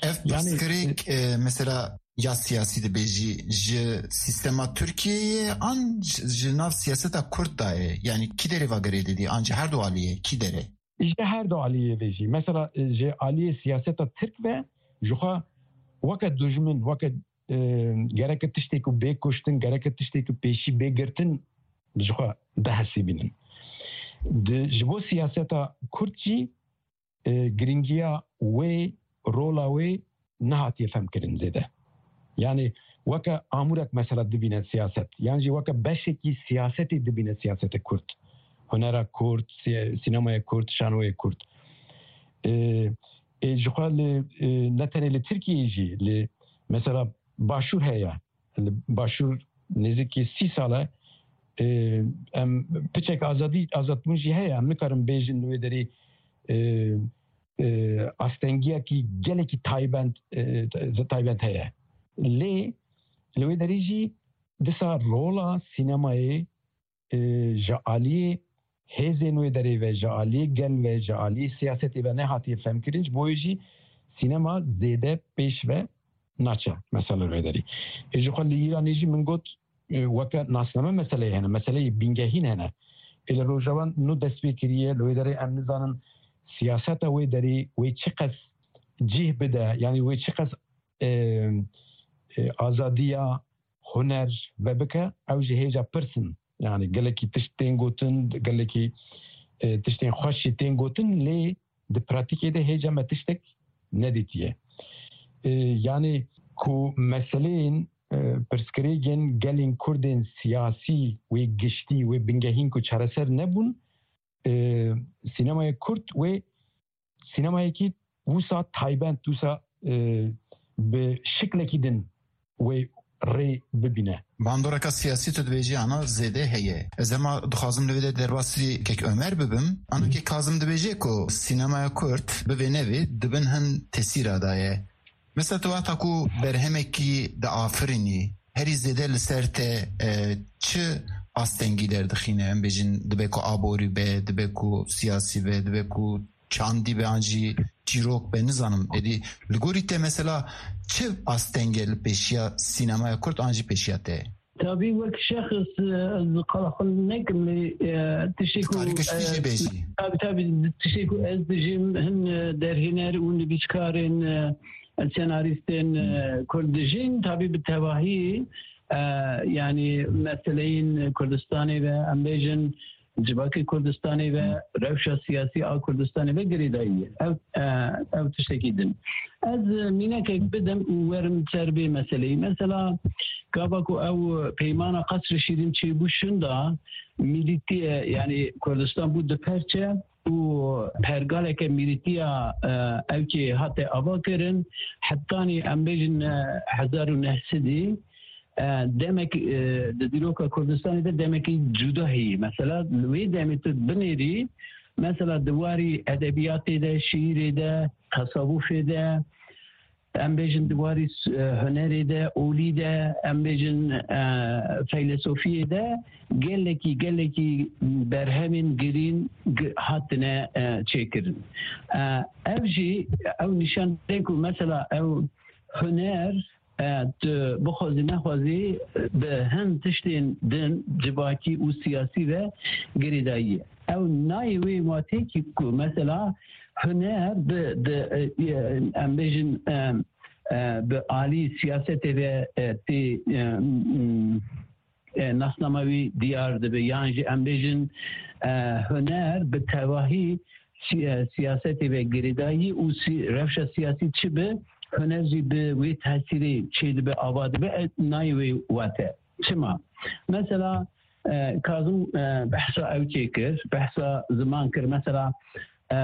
Ev Yani, pirsgirêk, e, e, mesela ya siyasî dibêjî ji sîstema Tirkiyeyê an ji, ji nav siyaseta Kurd de ye? Yani kî derê va girê didî? An ji her du aliyê kî derê? Ji her du aliyê ve jî. Mesela, e, ji aliyê siyaseta Tirk ve ji xwe weke dujmin, weke, e, gereke tiştê ku bê kuştin, gereke tiştê ku pêşî bê girtin ji xwe dihesibînin. Di, ji bo siyaseta Kurd jî, e, giringiya wê, rola wê nehatiye femkirin zêde. Yani weke amûrek mesela dibîne siyaset, yan jî weke beşekî siyasetê dibîne siyaseta Kurd. Hunera Kurd, si-, sînemaya Kurd, şanoyê Kurd. E, e, ji xwe li, e, ne tenê li Tirkiyeyê jî, li mesela Başûr heye. Li Başûr nêzîkî sî sal e, e, em piçek azadî, azadbûn jî heye. Em nikarin bêjin li wê derê, e, e, astengiyekî gelekî taybent, e, taybent heye. Lê li wê derê jî disa rola sînemayê, e, ji aliyê hêzên wê derê ve, ji aliyê gel ve, ji aliyê siyasetê ve nehatiye femkirin, ji bo wê jî sînema zêde pêş ve naçe, mesela wê derî. Ê ji xwe li Îranê jî min got, e, weke nasname meseleyê hene, meseleyê bingehîn hene. Ê li Rojava nû dest pê kiriye, li wê derê em nizanin siyaseta wê derî wê çiqas cih bide, yani wê çiqas, e, e, azadiya huner vebike, ew jî hêja pirs in. Yani gelekî tişt tên gotin, gelekî, e, tiştên xweş jî tên gotin, lê di pratîkê de hêja me tiştek nedîtiye. E, yani ku meseleyên, e, pirsgirêkên gelên Kurdên siyasî wê giştî, wê bingehîn ku çareser nebûn, e, sînemaya Kurd wê sînemayekî wisa taybent, wisa, e, bi şiklekî din wê rê bibîne. Bandoreka siyasî tu dibêjî ana zêde heye. Ez hema dixwazim li vê de derbasî Kek Ömer bibim. Ana Kek Kazim dibêje ku sînemaya Kurd bivê nevê di bin hin tesîra de ye. Mesela tu wexta ku berhemekî diafirînî, herî zêde li ser te, e, çi astengî derdixîne? Em bêjin dibe ku aborî be, dibe ku siyasî be, dibe ku çandî be an jî çîrok be, nizanim. Êdî li gorî te mesela çi asteng e li pêşiya sînemaya Kurd an jî pêşiya te? Tabî wek şexs, e, ez qala xwe nekim lê, e, tiştê ku, tarî giştî jî, e, bêjî. Tabî, tabî, tiştê ku ez dijîm hin, e, derhêner û nivîskarên, e, senarîstên, e, Kurd dijîn, tabî bi tevahî, e, yanî meseleyên Kurdistanê ve, em bêjin civakê Kurdistanê ve, rewşa siyasî a Kurdistanê ve girêdayî ye. Ew, e, ew tiştekî din. Ez, e, mînekek bidim û werim ser vê meseleyê. Mesela, gava ku ew peymana Qesrê Şîrîn çêbû şinda, mîlîtiye, yanî Kurdistan bû du perçe û pergaleke mîlîtiya, e, ewkê hate ava kirin, hetanî em bêjin, e, hezar û neh sedî, e, demek, e, di dîroka Kurdistanê de demekî cuda heye. Mesela li wê demê tu binêrî, mesela di warî edebiyatê de, şiîrê de, tesawufê de, em bêjin di warî s-, e, hunerê de, olî de, em bêjin, e, feylesofiyê de gelekî, gelekî berhemên girîn gi-, hatine, e, çêkirin. E, ev jî ew nîşan dide ku mesela ew huner, e, tu bixwazî nexwazî, e, bi hin tiştên din civakî û siyasî ve girêdayî ye. Ew nayê wê watê kî ku mesela huner bi, bi, e, e, em bêjin, e, e, bi alî siyasetê ve, e, tê, e, m-, e, nasnama wî diyar dibe, yan jî em bêjin, e, huner bi tevahî si-, e, siyasetê ve girêdayî û si-, rewşa siyasî çi bi, huner jî bi wê tesîrê çêdibe, ava dibe, e, nayê wê wate. Çima? Mesela, e, Kazim, e, behsa ew çêkir, behsa ziman kir. Mesela, e,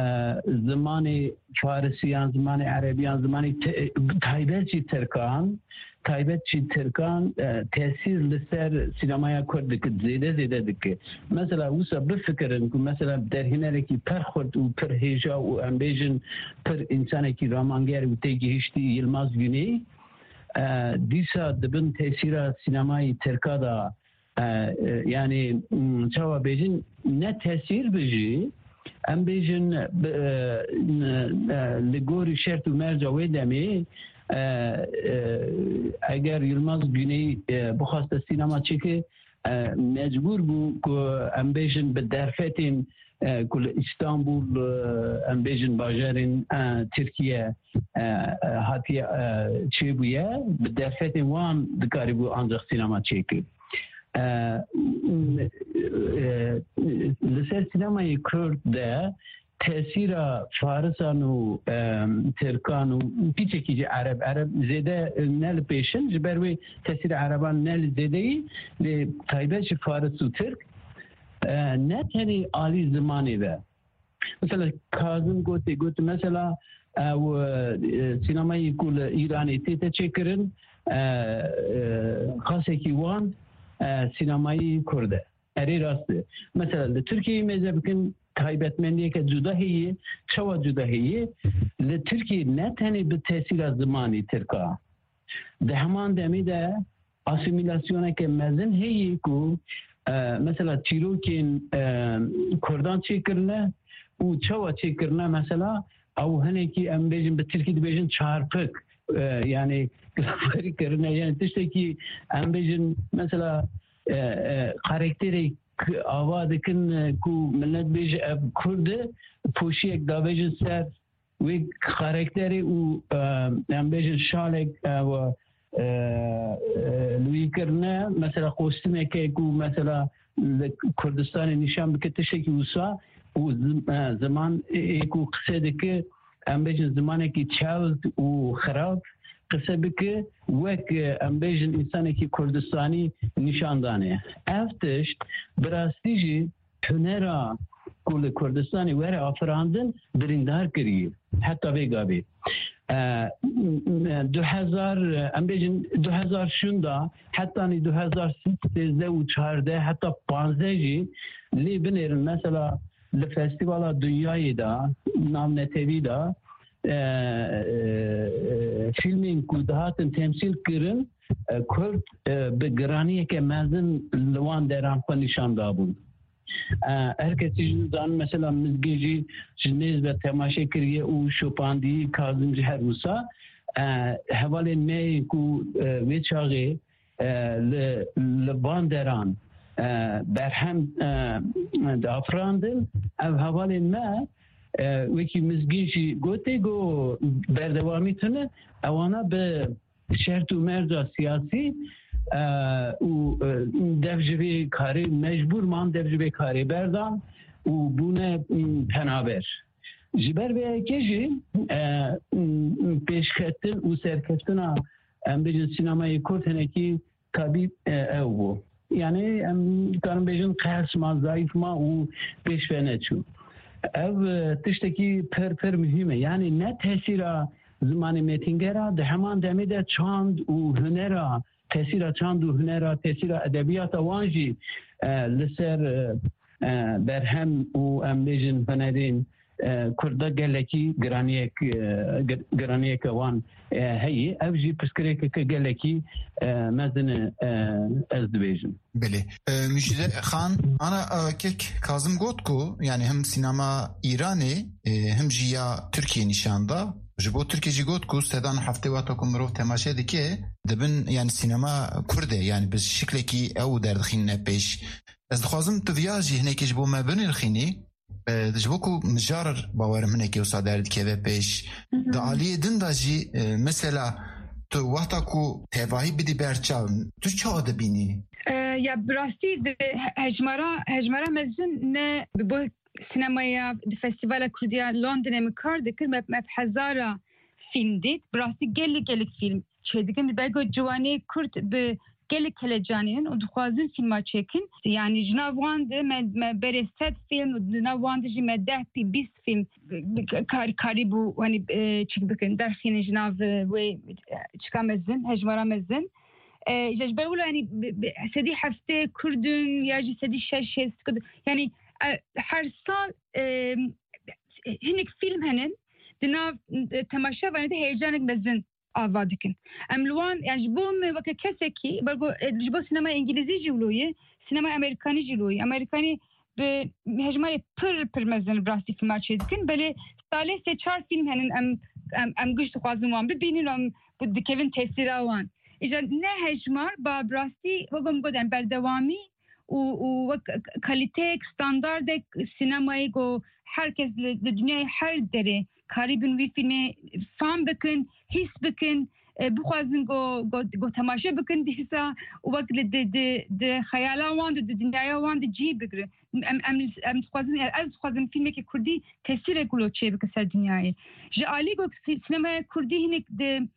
zimanê farisiyan, zimanê erebiyan, zimanê te-, taybet jî tirkan, taybet jî tirkan, e, tesîr li ser sînemaya Kurd dike, zêde zêde dike. Mesela wisa bifikirin ku mesela derhênerekî pir xurt û pir hêja û em bêjin pir însanekî ramanger û têgihiştî Yilmaz Güney, e, dîsa di bin tesîra sînemayê tirka de, e, e, yanî, m, çawa bêjin, ne tesîr bi jî, em bêjin, bi, e, n-, e, li gorî şert û merca wê demê, e, e, eger Yilmaz Güney, e, bixwaste sînema çêke, e, mecbûr bû ku em bêjin bi derfetên, e, ku li Îstanbul, e, em bêjin bajarên, e, Tirkiye, e, e, hatiye, e, çêbûye, bi derfetên wan dikarîbû ancaq sînema çêkir. E, e, li ser sînemayê Kurd de tesîra farisan û, e, tirkan û piçekî jî ereb, ereb zêde ne li pêşin, ji ber wê tesîra ereban ne li zêdeyî, lê taybet ji faris û tirk, e, ne tenê alî zimanê ve. Mesela Kazim gotê, got mesela, e, ew, e, sînemayê ku li Îranê tête çêkirin, e, e, xasekî wan, e, sînemayî Kurd e. Erê rast e. Mesela li Tirkiyeyê mêze bikin, taybetmendiyeke cuda heye. Çawa cuda heye? Li Tirkiyeyê ne tenê bi tesîra zimanî tirka, di heman demê de asîmîlasyoneke mezin heye ku, e, mesela çîrokên, e, Kurdan çêkirine û çawa çêkirine, mesela ew hinekî, em bêjin, bi tirkî dibêjin çarpik, e, yanî, kirine, yanî tiştekî, em bêjin, mesela, e, e, karakterê k-, ava dikin, e, ku millet bêje ev Kurd e, poşiyek davêjin ser wê karakterê û, e, em bêjin şalek, e, we, e, e, li wî kirine, mesela kostümeke ku mesela li Kurdistanê nîşan bike tiştekî wisa û zim-, e, ziman ê ku qise dike, em bêjin zimanekî çewt û xirab qise bike, wek, e, em bêjin însanekî Kurdistanî nîşan dane. Ev tişt bi rastî jî hunera ku li Kurdistanê were afirandin birîndar kiriye. Heta vê gavê. E, du hezar, em bêjin du hezar şûnda, hetanî du hezar sêzdeh û çardeh heta panzdeh jî lê binêrin. Mesela li festîvala dinyayê de, navnetewî de, e, e, fîlmên ku dihatin temsîl kirin, e, Kurd, e, bi giraniyeke mezin li wan deran xwe nîşan dabûn. E, her kesî jî dizanî, mesela Mizgîn jî ji nêz ve temaşe kiriye û şopandî, Kazim jî her wisa. E, hevalên me yên ku, e, wê çaxê, e, li, li van deran, e, berhem, e, diafirandin, ev hevalên me, E, wekî Mizgîn jî gotê, got berdewamî tune, ewana bi şert û merca siyasî, e, û, e, dev ji vê karê mecbûr man, dev ji vê karê berdan û bûne, m, penaber. Ji ber vê yekê jî, e, m, pêşketin û serkeftina, em bêjin, sînemayê Kurd hinekî tabî, e, ew bû. Yani em dikarin bêjin qehs ma, zayîf ma û pêş ve neçû. Ev, e, tiştekî pir, pir muhîm e. Yani ne tesîra zimanê mêtingera, di heman demê de çand û hunera, tesîra çand û hunera, tesîra edebiyata wan jî, e, li ser, e, e, berhem û em bêjin hunerên, e, Kurda gelekî giraniyek, e, gir-, giraniyeke wan, e, heye. Ev jî pirsgirêkeke gelekî, e, mezin e, e, ez dibêjim. Belê. E, Mujide Xan, ana, e, kek Kazim got ku, yani hem sînema Îranê, e, hem jî ya Tirkiyê nîşan da. Ji bo Tirkiyê jî got ku sedan heftê wexta ku mirov temaşe dike, dibin, yani sînema Kurd e, yani bi şiklekî ew derdixîne pêş. Ez dixwazim tu viya jî hinekî ji bo me binirxînî. E, ji bo ku mijar bawerim hinekî wisa derdikeve pêş. Di aliyê din de jî, e, mesela tu wexta ku tevahî bidî ber çav, tu çawa dibînî? E, ya bi rastî di he-, hejmara, hejmara mezin ne bi bo sinemaya, di Festîvala Kurdî ya Londonê min kar dikir, me, me hezara fîlm dît. Bi rastî gelek, gelek fîlm çêdikin. Belgo ciwanê Kurd bi gelek helecanînin û dixwazin fîlma çêkin. Yani ji nav wan de me, me berê sed fîlm û di nav wan de jî me deh pî bîst fîlm kar-, karîbû, hani, e, çik bikin, derxînin ji nav, e, wê, e, çika mezin, hejmara mezin. E, ji ber wilo, yani, bi, bi, sedî heftê Kurd in ya jî sedî şeş hêst Kurd in. Yani, e, her sal, e, hinek fîlm henin, di nav, e, temaşevanê de heyecanek mezin ava dikin. Em li wan, yani ji bo me weke kesekî, belgo, e, ji bo sînema îngilîzî jî wilo ye, sînema amerîkanî jî wilo ye. Amerîkanî bi hejmarê pir, pir mezin bi rastî fîlma çêdikin. Belê salê sê çar fîlm henin em, em, em giş dixwazin wan bibînin, em bi-, dikevin tesîra wan. Îcar ne hejmar, ba bi rastî, wek em got, em berdewamî û, û wek k-, kalîteyek, standardek sînemayê ku her kes li, li dinyayê her derê karîbin wî fîlmê fam bikin, hîs bikin, e, bixwazin ku, ku, ku temaşe bikin dîsa û wek li di, di, di xeyala wan de, di dinyaya wan de cî bigrin. Em, em, em dixwazin, ez dixwazim fîlmekî kurdî tesîrek wilo çêbike ser dinyayê. Ji alî ku sî-, sînemaya kurdî hinek di,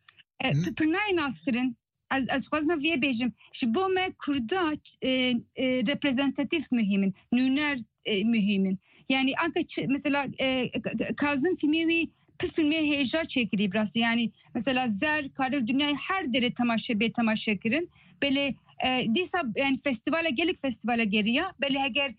e, Hı. pir nayê naskirin. Ez, ez dixwazim vê bêjim. Ji bo me Kurda, e, e, reprezentatif muhîm in, nûner, e, muhîm in. Yani anka çi, mesela, e, K-, K-, Kazim fîlmê wî pir fîlmê hêja çêkirî bi rastî. Yani mesela Zer, kare dinyayê her derê temaşe, bê temaşe kirin. Belê, e, dîsa yani festîvala, gelek festîvala geriya. Belê heger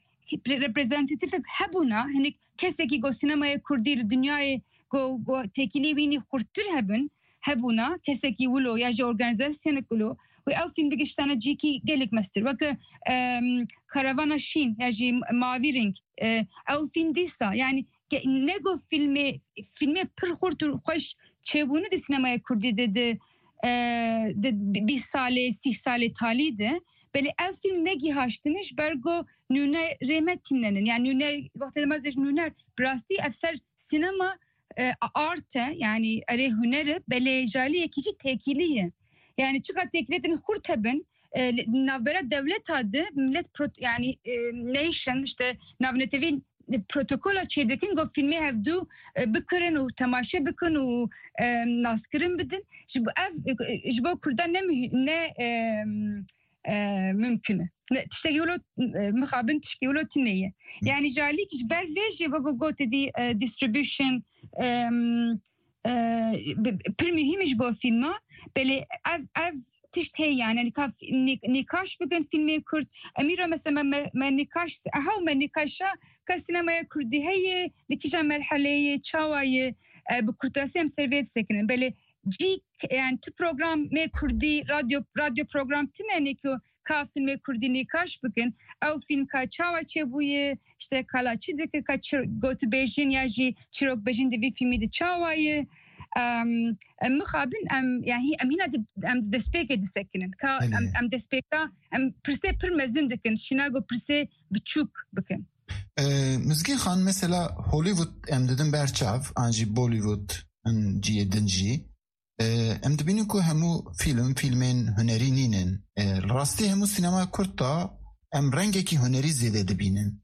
reprezentatif hebûna, hinek kesekî ku sînemaya kurdî li dinyayê ku, ku têkilî wînî xurttir hebin, hebûna, kesekî wilo ya jî organîzasyonek wilo, wê ew fîlm bigiştana cîkî gelek mestir. Weke, em, Karavana Şîn ya jî Mavî Ring, e, ew fîlm dîsa, yani ke-, ne got fîlmê, fîlmê pir xurt û xweş çêbûne di sînemaya kurdî de, di, e, di bîst salê, sî salê talî de, belê ev fîlm negihaştine ji ber ku nûnerê me tînenin. Yani nûner, wextê me dibêjin nûner, bi rastî ev ser sînema, e, art e, yani erê huner e, belê ji aliyekî jî têkilî ye. Yani çiqas têkiliyetên xurt hebin, e, li navbera dewleta de millet prot-, yani, e, nation, işte navnetewî protokola çêdikin, ku fîlmê hevdû, e, bikirin û temaşe bikin û, e, naskirin bidin. Ji bo ev, e, ji bo Kurdan ne mühi-, ne, e, e, mümkün e. Ne, tiştekî wilo, e, mixabin tiştekî wilo tune ye. Yani ji alî ji ber vê jî wek gotê dî, e, distribution, e, e, bi-, pir muhîm e ji bo fîlma. Belê ev, ev tişt heye yani. Hani ka nî-, nîkaş bikin fîlmê Kurd. Em îro mesela me, me, me nîkaş, eha me nîkaşa ka sînemaya Kurdî heye, li kîja merheleyê, çawa ye, e, bi kurtasî em ser vê disekinin. Belê cî, yani tu programê Kurdî, radyo, radyo program tune ne ku ka fîlmê Kurdî nîkaş bikin. Ew fîlm ka çawa çêbûye, işte kala çi dike, ka çi gotibêjin ya jî çîrokbêjin di vî fîlmî de çawa ye. Em, em mixabin, em, yani em hîna di, em destpêkê disekinin. Ka em, Belê. em destpêka, em pirsê pir mezin dikin, şîna ku pirsê biçûk bikin. E, Mizgîn Xan, mesela Hollywood em didin ber çav, an jî Bollywood in cihê din jî. E, em dibînin ku hemû fîlm, fîlmên hunerî nînin. E, li rastî hemû sînemaya Kurd de em rengekî hunerî zêde dibînin.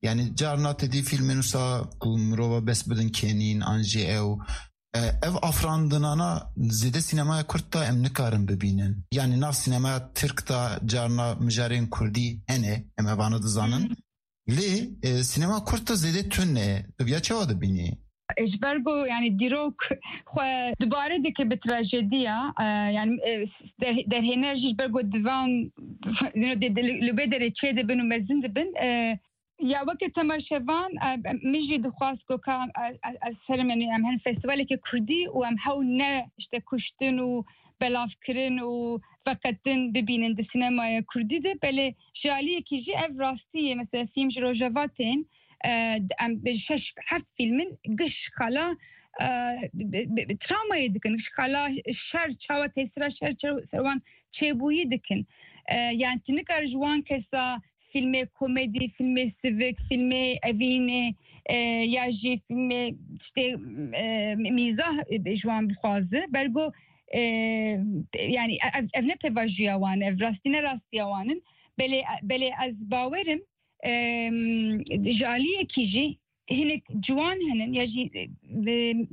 Yani carna te dî fîlmên wisa ku mirova bes bidin kenîn, an jî ew. E, ev afirandinana zêde sînemaya Kurd de em nikarin bibînin. Yani nav sînemaya Tirk de carna mijarên Kurdî hene, em evana dizanin. Lê, e, sînema Kurd de zêde tune. Tu viya çawa dibînî? E, ji ber ku, yani, dîrok xwe dubare dike bi trajediya, e, yani, e, der-, derhêner jî ji ber ku divan, you know, de, de, li, li bê derê çê dibin û mezin dibin, e, ya weke temaşevan, e, min jî dixwast ku ka, e, e, ez herim, yani, em hin festîvaleke Kurdî û em hew ne, işte, kuştin û belavkirin û veqetin bibînin di sînemaya Kurdî de. Belê ji aliyekî jî ev rastî ye. Mesela fîlm ji Rojava tên, e, em bi şeş heft fîlmin giş xala, e, bi, bi, bi travmayê dikin. Giş xala şer, çawa tesîra şer çaw-, ser wan çêbûyî dikin. E, yani tu nikare ji wan kesa fîlmê komedî, fîlmê sivik, fîlmê evînê, e, ya jî fîlmê işte, e, mîzah, e, ji wan bixwaze. Bergo, e, yani ev, ev ne pêvajoya wan e, ev rastî ne rastiya wan in. Belê, belê ez bawerim, e, ji aliyekî jî hinek ciwan hene ya jî, e,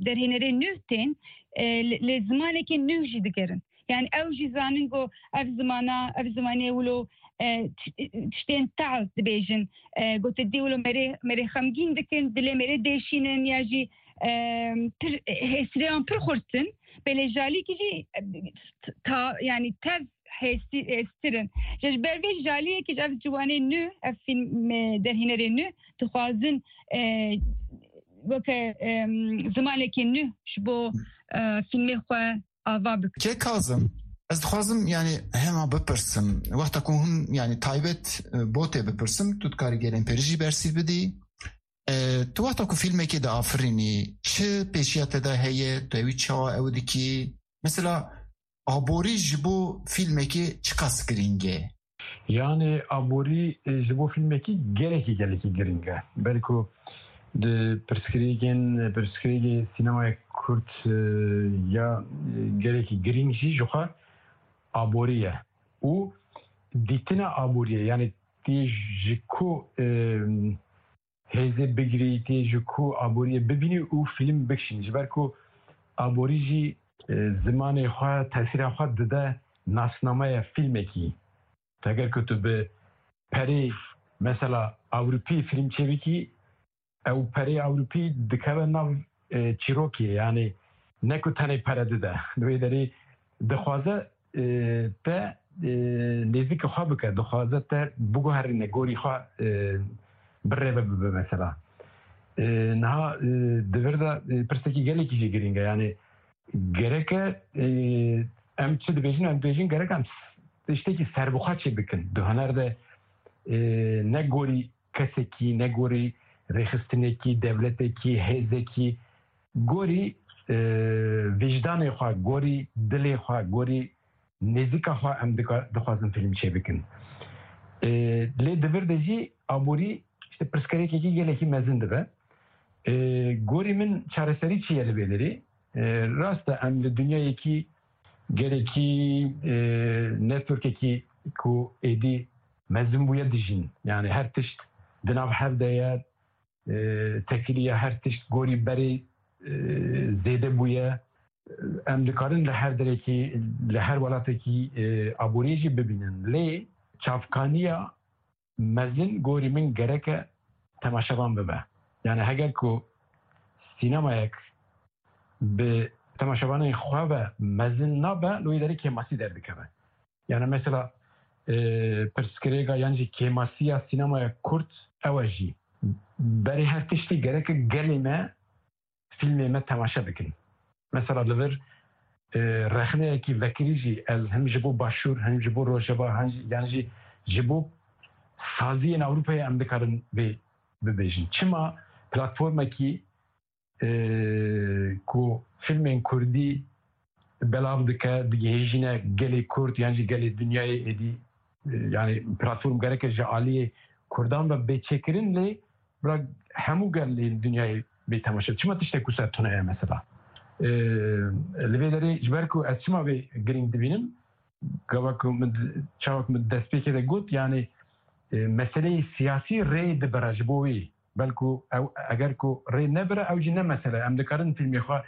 derhênerê nû tên, e, li, li zimanekê nû jî digerin. Yani ew jî zanin ku ev zimana, ev zimanê wilo, e, ti-, tiştên tehl dibêjin. E, ku tu dî wilo merê, merê xemgîn dikin, dilê merê dêşînin ya jî, e, pir hêsirê wan pir xurtin. Belê ji aliyekî jî, e, ta, yani tev hêsî-, hêstir in. Ji ber vê ji aliyekî ji ev ciwanê nû, ev fîlm, e, derhênerê nû dixwazin, e, weke, e, zimanekî nû ji bo, e, fîlmê xwe ava bikin. Kê Kazim, ez dixwazim, yani, hema bipirsim. Wexta ku hûn, yani, taybet, e, bo tê bipirsim, tu dikarî gelên pêrî jî bersîv bidî. E, tu wexta ku fîlmekê diafirînî, çi pêşiya te de heye, tu ewî çawa ew dikî? Mesela, aborî ji bo fîlmekê çiqas girîng e? Yani aborî, e, ji bo fîlmekî gelekî, gelekî girîng e. Belku di pirsgirêkên, pirsgirêkê sînemaya Kurd, e, ya, e, gelekî girîng jî ji xwe aborî ye. Û dîtina aboriyê, yani tê ji ku, e, hêzê bigirî, tê ji ku aboriyê bibînî û fîlm bikişînî. Ji ber ku aborî jî, e, zimanê xwe, tesîra xwe dide nasnameya fîlmekî. Heger ku tu bi perê, mesela, Ewropî fîlm çêbikî, ew perê Ewropî dikeve nav, e, çîrokê, yani ne ku tenê pere dide. Li wê derê dixwaze, e, te, e, nêzîkî xwe bike, dixwaze te biguherîne, gorî xwe, e, birêve bibe mesela. E, niha, e, di vir de, e, pirsekî gelekî jî girîng e. Yani gereke, e, em çi dibêjin, em dibêjin gerek em tiştekî serbixwe çê bikin. Di huner de, e, ne gorî kesekî, ne gorî rêxistinekî, dewletekî, hêzekî, gorî, e, vîjdanê xwe, gorî dilê xwe, gorî nêzîka xwe em dika-, dixwazin fîlm çêbikin. E, lê di vir de jî aborî, işte, pirsgirêkekî gelekî mezin dibe. E, gorî min çareserî çi ye li vê derê? E, rast e, em li dinyayekî gelekî, e, networkekî ku êdî mezin bûye dijîn. Yani her tişt di nav hev de ye, e, tekilî ye, her tişt gorî berê, e, zêde bûye. Em dikarin li her derekî, li her welatekî, e, aboriyê jî bibînin. Lê çavkaniya mezin gorî min gereke temaşevan bibe. Yani heger ku sînemayek bi temaşevanên xwe ve mezin nabe, li wê derê kêmasî derdikeve. Yani mesela, e, pirsgirêka yan jî kêmasiya sînemaya Kurd ew e jî. Berê her tiştî gereke gelê me fîlmê me temaşe bikin. Mesela li vir, e, rexneyekî vekirî jî ez hem ji bo Başûr, hem ji bo Rojava, hem jî, yan jî ji bo saziyên Ewropayê em dikarin vê bibêjin. Çima platformekî, e, ku fîlmên Kurdî belav dike, digihêjîne gelê Kurd yan jî gelê dinyayê êdî, e, yani platform gereke ji aliyê Kurdan ve bê çêkirin, lê bira hemû gelên dinyayê bê temaşe. Çima tiştek wisa tune ye mesela? E, li vê derê ji ber ku ez çima vê girîng dibînim, gava ku min, çawa ku min destpêkê de got, yani, e, meseleyê siyasî rê dibire ji bo wî. Belku ew, eger ku rê nebire, ew jî ne mesele. Em dikarin fîlmê xwe,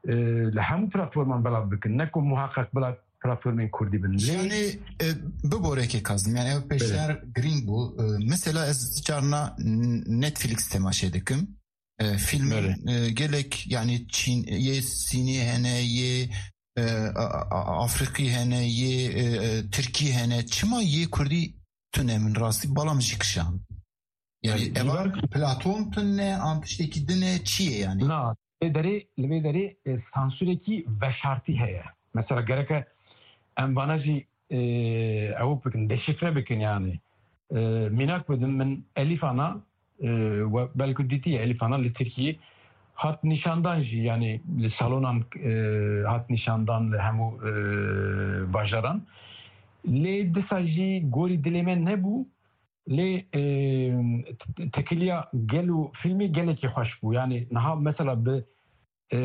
e, li hemû platforman belav bikin. Ne ku muhaqqeq bila platformên kurdî bin. Lê Yani, e, biborekê Kazim, yani ew pêşniyar girîng bû. E, mesela ez carna N-, Netflix temaşe dikim. E, filmên, Belê. e, gelek, yani Çîn, yê Sînî hene, yê, e, a-, a-, Afrikî hene, yê, e, e, Tirkî hene. Çima yê Kurdî tune min rastî, balam jî kişan. Yani Yani, eva Nîgar- platform tune, an tiştekî din e, çi ye yani? Na, li vê derê, li vê derê, e, sansurekî veşartî heye. Mesela gereke em vana jî, e, ew bikin, deşifre bikin yani. E, mînak bidim, min Elîfana, e, we belku dîtiye, Elîfana li Tirkiyê hat nîşandan jî, yani li salonan, e, hat nîşandan li hemû, e, bajaran. Lê disa jî gorî dilê me nebû. Lê, e, t-, t-, tekiliya gel û filmê gelekî xweş bû. Yani niha mesela bi, e,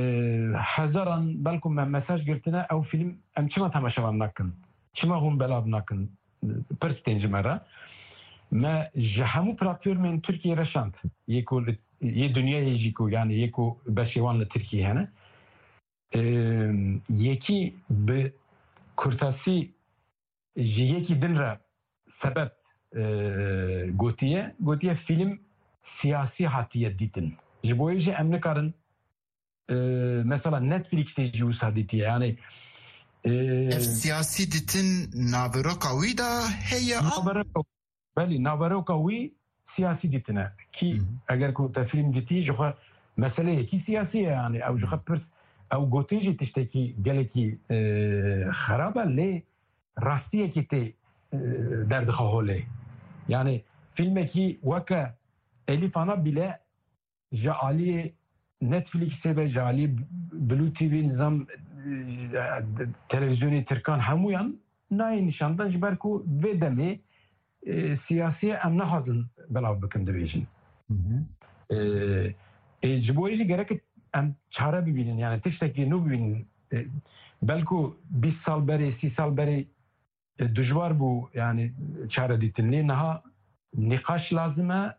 hezaran belku me mesaj girtine, ew film em çima temaşevan nakin? Çima hûn belav nakin? Pirs tên ji me re. Me ji hemû platformên Tirkiyê re şand. Yê ku li, yê dinyayê jî ku, yani yê ku beşê wan li Tirkiyê hene. E, yekî bi kurtasî ji yekî din re sebeb, e, gotiye, gotiye fîlm siyasî hatiye dîtin. Ji bo yê jî em nikarin, e, mesela Netflixê jî wisa dîtiye. Yani, e, Ev siyasî ditin naveroka wî de heye an? Naveroka, belê, naveroka wî siyasî dîtine. Kî Hı hı. eger ku te fîlm dîtî, ji xwe meseleyekî siyasî ye, yani ew ji xwe Hı. pirs, ew gotin jî tiştekî gelekî, e, xerab e, lê rastiyekî tê, e, derdixe holê. Yani fîlmekî weke Elîfana bîle ji aliyê Netflixê be, ji aliyê Blue T V, nizam, e, televîzyonê Tirkan hemûyan nayê nîşandan, ji ber ku vê demê, e, siyasiyê em nexwazin belav bikin, dibêjin. Hı hı. E, e, ji bo yê jî gerek em çare bibînin, yani tiştekî nû bibînin. E, belku bîst sal berê, sî sal berê, e, dijwar bû, yani çare dîtin. Lê niha nîqaş lazim e,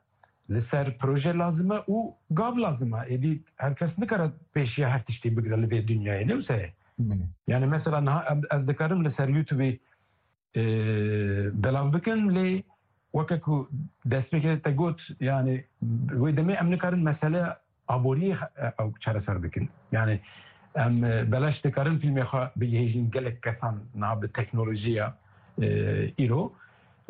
li ser proje lazim e û gav lazim e. Êdî her kes nikare pêşiya her tiştê bigire li vê dinyayê. Ne wisa ye? Hı. Yani mesela niha em, ez dikarim li ser YouTubeê, e, belav bikin, lê weke ku destpêkê te got, yani wê demê em nikarin mesele aboriyê, e, ew çareser bikin. Yani em, e, belaş dikarin fîlmê xwe bigihêjin gelek kesan niha bi teknolojiya, e, îro.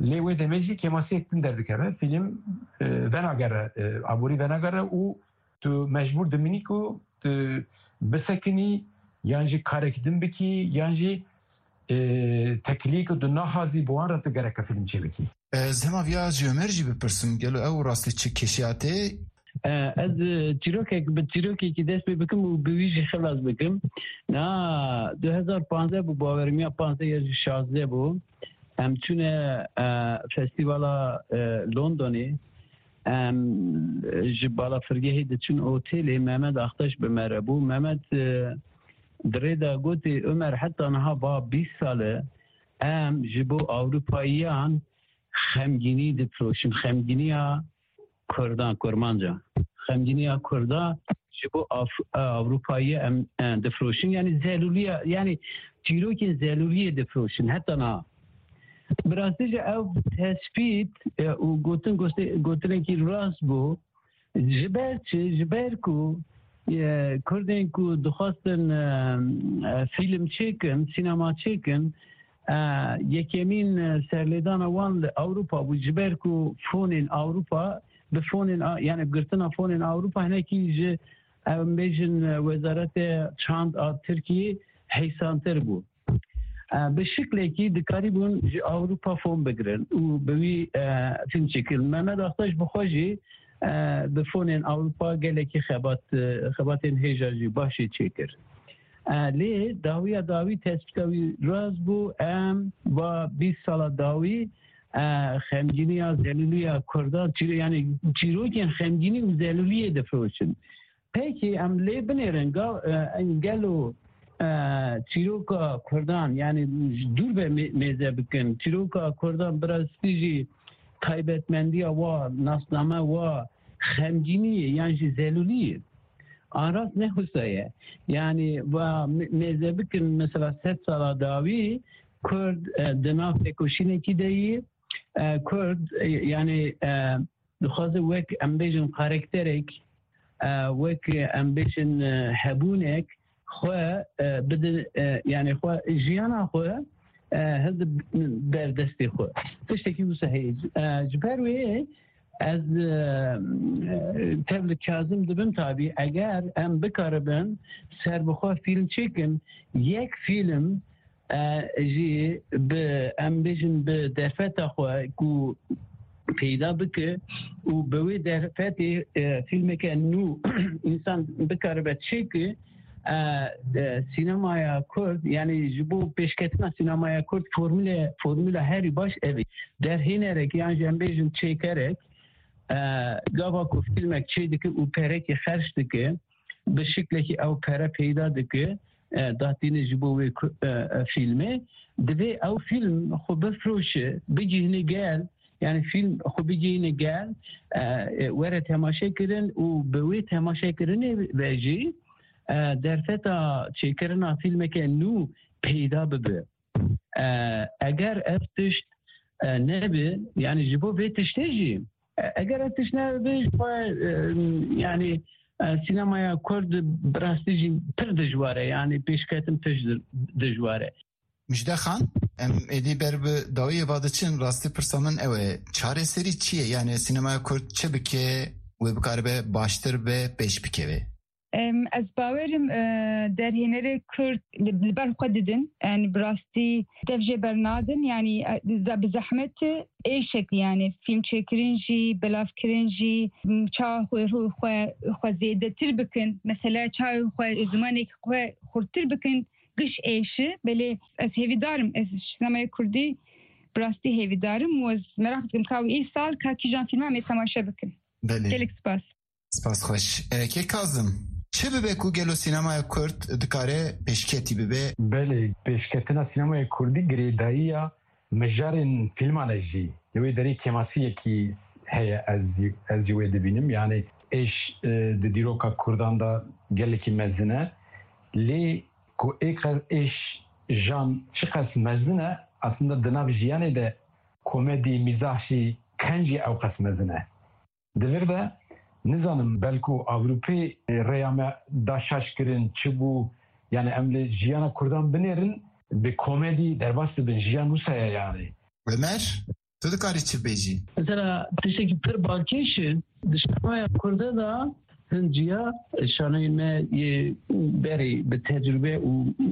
Lê wê demê jî kêmasiyek din derdikeve, fîlm, e, venagere, e, aborî venagere û tu mecbûr dimînî ku tu bisekinî, yan jî karek din bikî, yan jî, e, teklî ku tu naxwazî, bi wan re tu gereke fîlm çêbikî. Ez hema viya ji Ömer jî bipirsim, gelo ew rastî çi kêşiya te? E, ez, e, çîrokek, bi çîrokekî dest pê bikim û bi wî jî xilas bikim. Na, du hezar panzdeh bû, bawerim ya panzdeh ya jî şazdeh bû. Em çûne, e, festîvala, e, Londonê. Em ji balafirgehê diçin otelê, Mehmet Aktaş bi me re bû. Mehmet, e, di rê de gotê, Ömer, heta niha va bîst sal e em ji bo Ewropayiyan xemgînî difiroşin. Xemgîniya Kurdan, Kurmanca. Xemgîniya Kurda ji bo Af-, Ewropayê em, e, difiroşin. Yani zelûliya, yani çîrokên zelûliyê difiroşin. Heta niha. Bi rastî jî ev tespît, e, û gotin, goste-, gotinekî rast bû. Ji ber çi? Ji ber ku, e, Kurdên ku dixwestin, e, e, fîlm çêkin, sînema çêkin, e, yekemîn, e, serlêdana wan li Ewropa bû. Ji ber ku fonên Ewropa, bi fonên a-, yani girtina fonên Ewropa hinekî ji, em bêjin, e, Wezarete Çand a Tirkiyê heysantir bû. E, bi şiklekî dikarîbûn ji Ewropa fon bigirin û bi wî, e, fîlm çêkirin. Mehmet Aktaş bi xwe jî, e, bi fonên Ewropa gelekî xebat, e, xebatên hêja jî baş jî çêkir. E, lê dawiya dawî tespîta wî rast bû, em va bîst sala dawî e, xemgîniya, zelûliya Kurdan, çîro-, yanî çîrokên xemgînî û zelûliyê difiroşin. Pekî em lê binêrin, ga-, e, em gelo, e, çîroka Kurdan, yanî dûr ve mê-, mêze bikin. Çîroka Kurdan bi rastî jî taybetmendiya wa, nasname wa, xemgînî ye yan jî zelûlî ye. An rast ne wisa ye. Yanî va mê-, mêze bikin, mesela sed sala dawî Kurd, e, di nav têkoşînekî de yî, e, Kurd, e, yanî, e, dixwaze wek, em bêjin, karakterek, e, wek, em bêjin, e, hebûnek xwe, e, bide, e, yanî xwe, jiyana xwe, e, hilde ber destê xwe. Tiştekî wisa heye. E, ji ber wê ez, e, tev li Kazim dibim tabî, eger em bikaribin serbixwe fîlm çêkin, yek fîlm, e, jî bi, em bêjin, bi derfeta xwe ku peyda bike û bi wê derfetê, e, fîlmeke nû însan bikaribe çêke, e, de, sînemaya Kurd, yanî ji bo pêşketina sînemaya Kurd formule, formula herî baş ev e. Derhênerek yan jî em bêjin çêkerek, e, gava ku fîlmek çêdike û perekî xerc dike, bi şiklekî ew pere peyda dike, e, datîne ji bo wê ku-, e, e, fîlmê. Divê ew fîlm xwe bifiroşe, bigihîne gel, yanî fîlm xwe bigihîne gel, e, e, were temaşe kirin û bi wê temaşekirinê ve jî, e, derfeta çêkirina fîlmeke nû peyda bibe. E, eger ev tişt, e, nebe, yanî ji bo vê tiştê jî, e, eger ev tişt nebe, ji xwe, e, yanî, e, sînemaya Kurd bi rastî jî pir dijwar e, yanî pêşketin pir di-, dijwar e. Mijde Xan, em êdî ber bi dawiyê ve diçin, rastî pirsa min ew e, çareserî çi ye? Yanî sînemaya Kurd çi bike, wê bikaribe baştir be pêş bikeve? Em, ez bawerim, e, derhênerê Kurd li, li ber xwe didin. Yanî bi rastî dev jê bernadin. Yanî, e, ze-, bi zehmet êşek, yanî fîlm çêkirin jî, belavkirin jî, m, çawa xwe, xwe, xwe zêdetir bikin. Mesela çawa xwe zimanekî xwe xurttir bikin. Giş êşi. Belê ez hêvîdar im. Ez ji sînemaya Kurdî bi rastî hêvîdar im û ez meraq dikim ka wî îsal ka kîjan fîlman em ê temaşe bikin. Belê. Gelek spas. Spas xweş. E, Kê Kazim, çi bibe ku gelo sînemaya Kurd dikare pêşketî bibe? Belê, pêşketina sînemaya Kurdî girêdayiya mijarên fîlman e jî. Li wê derê kêmasiyekî heye, ez jî, ez jî wê dibînim. Yanî êş, e, di dîroka Kurdan de gelekî mezin e. Lê ku ê qe-, êş jan çiqas mezin e, aslında di nav jiyanê de komedî, mîzah jî, kencî ew qas mezin e. Di vir de nizanim, belku Ewropê rêya me da şaş kirin, çi bû, yani em li jiyana Kurdan binêrin, bi komedî derbas dibin, jiyan wisa ye yani. Ömer, tu dikarî çi bêjî? Mesela tiştekî pir balkêş e, di şanoya Kurde de hin ciya şanoyê me yê berê bi tecrube û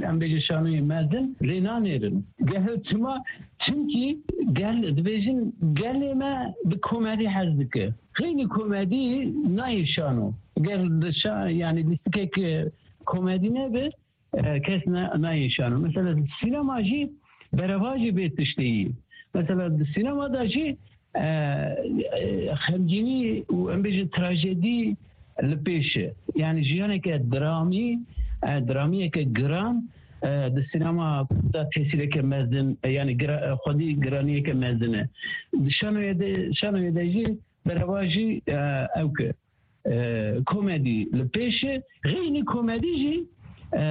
em bêje şanoyê mezin rê nanêrin. Gel çima? Çimkî gel dibêjin gelê me bi komedî hez dike. Xeynî komedî nayê şano. Ger li şa-, yani lîstikek komedî nebe, e, kes ne, nayê şano. Mesela sînema jî berevajî vê tiştê yî. Mesela di sînema de jî, e, e, xemgînî û em bêjin trajedî li pêş e. Yani jiyaneke dramî, e, dramiyeke giran, e, di sînema de tesîreke mezin, e, yani gira-, e, xwedî giraniyeke mezin e. Di şanoyê de, şanoyê de jî berevajî, e, ew ke, e, komedî li pêş e, xeynî komedî jî, e,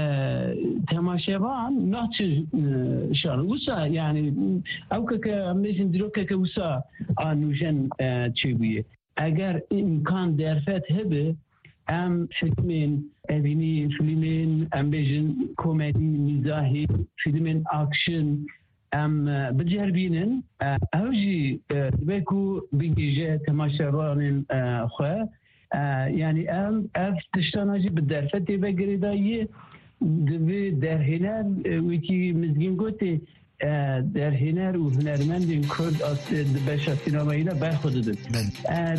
temaşevan naçe, e, şan. Wisa, yani, ew ke, ke em bêjin dîrokeke wisa a nûjen, e, çêbûye. Eger îmkan derfet hebe, em fîlmên evînî, fîlmên, em bêjin, komedî, mîzahî, fîlmên action, em, e, biceribînin, e, ew jî, e, dibe ku bigihîje temaşevanên, e, xwe. E, yanî em ev tiştana jî bi derfetê ve girêdayî, divê derhêner, e, wekî Mizgîn gotê, e, derhêner û hunermendên Kurd as-, di beşa sînemayî de berxwe didin. Belê. E,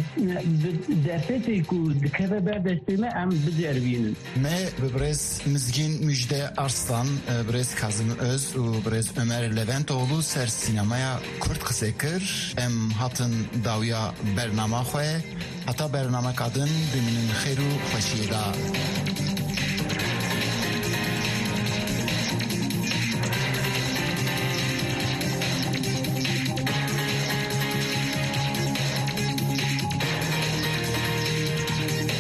bi derfetê ku dikeve ber destê me, em biceribînin. Me bi birêz Mizgîn Müjde Arslan, e, birêz Kazım Öz û birêz Ömer Leventoğlu ser sînemaya Kurd qise kir. Em hatin dawiya bernama xwe. Heta bernameka din bimînin xêr û xweşiyê de.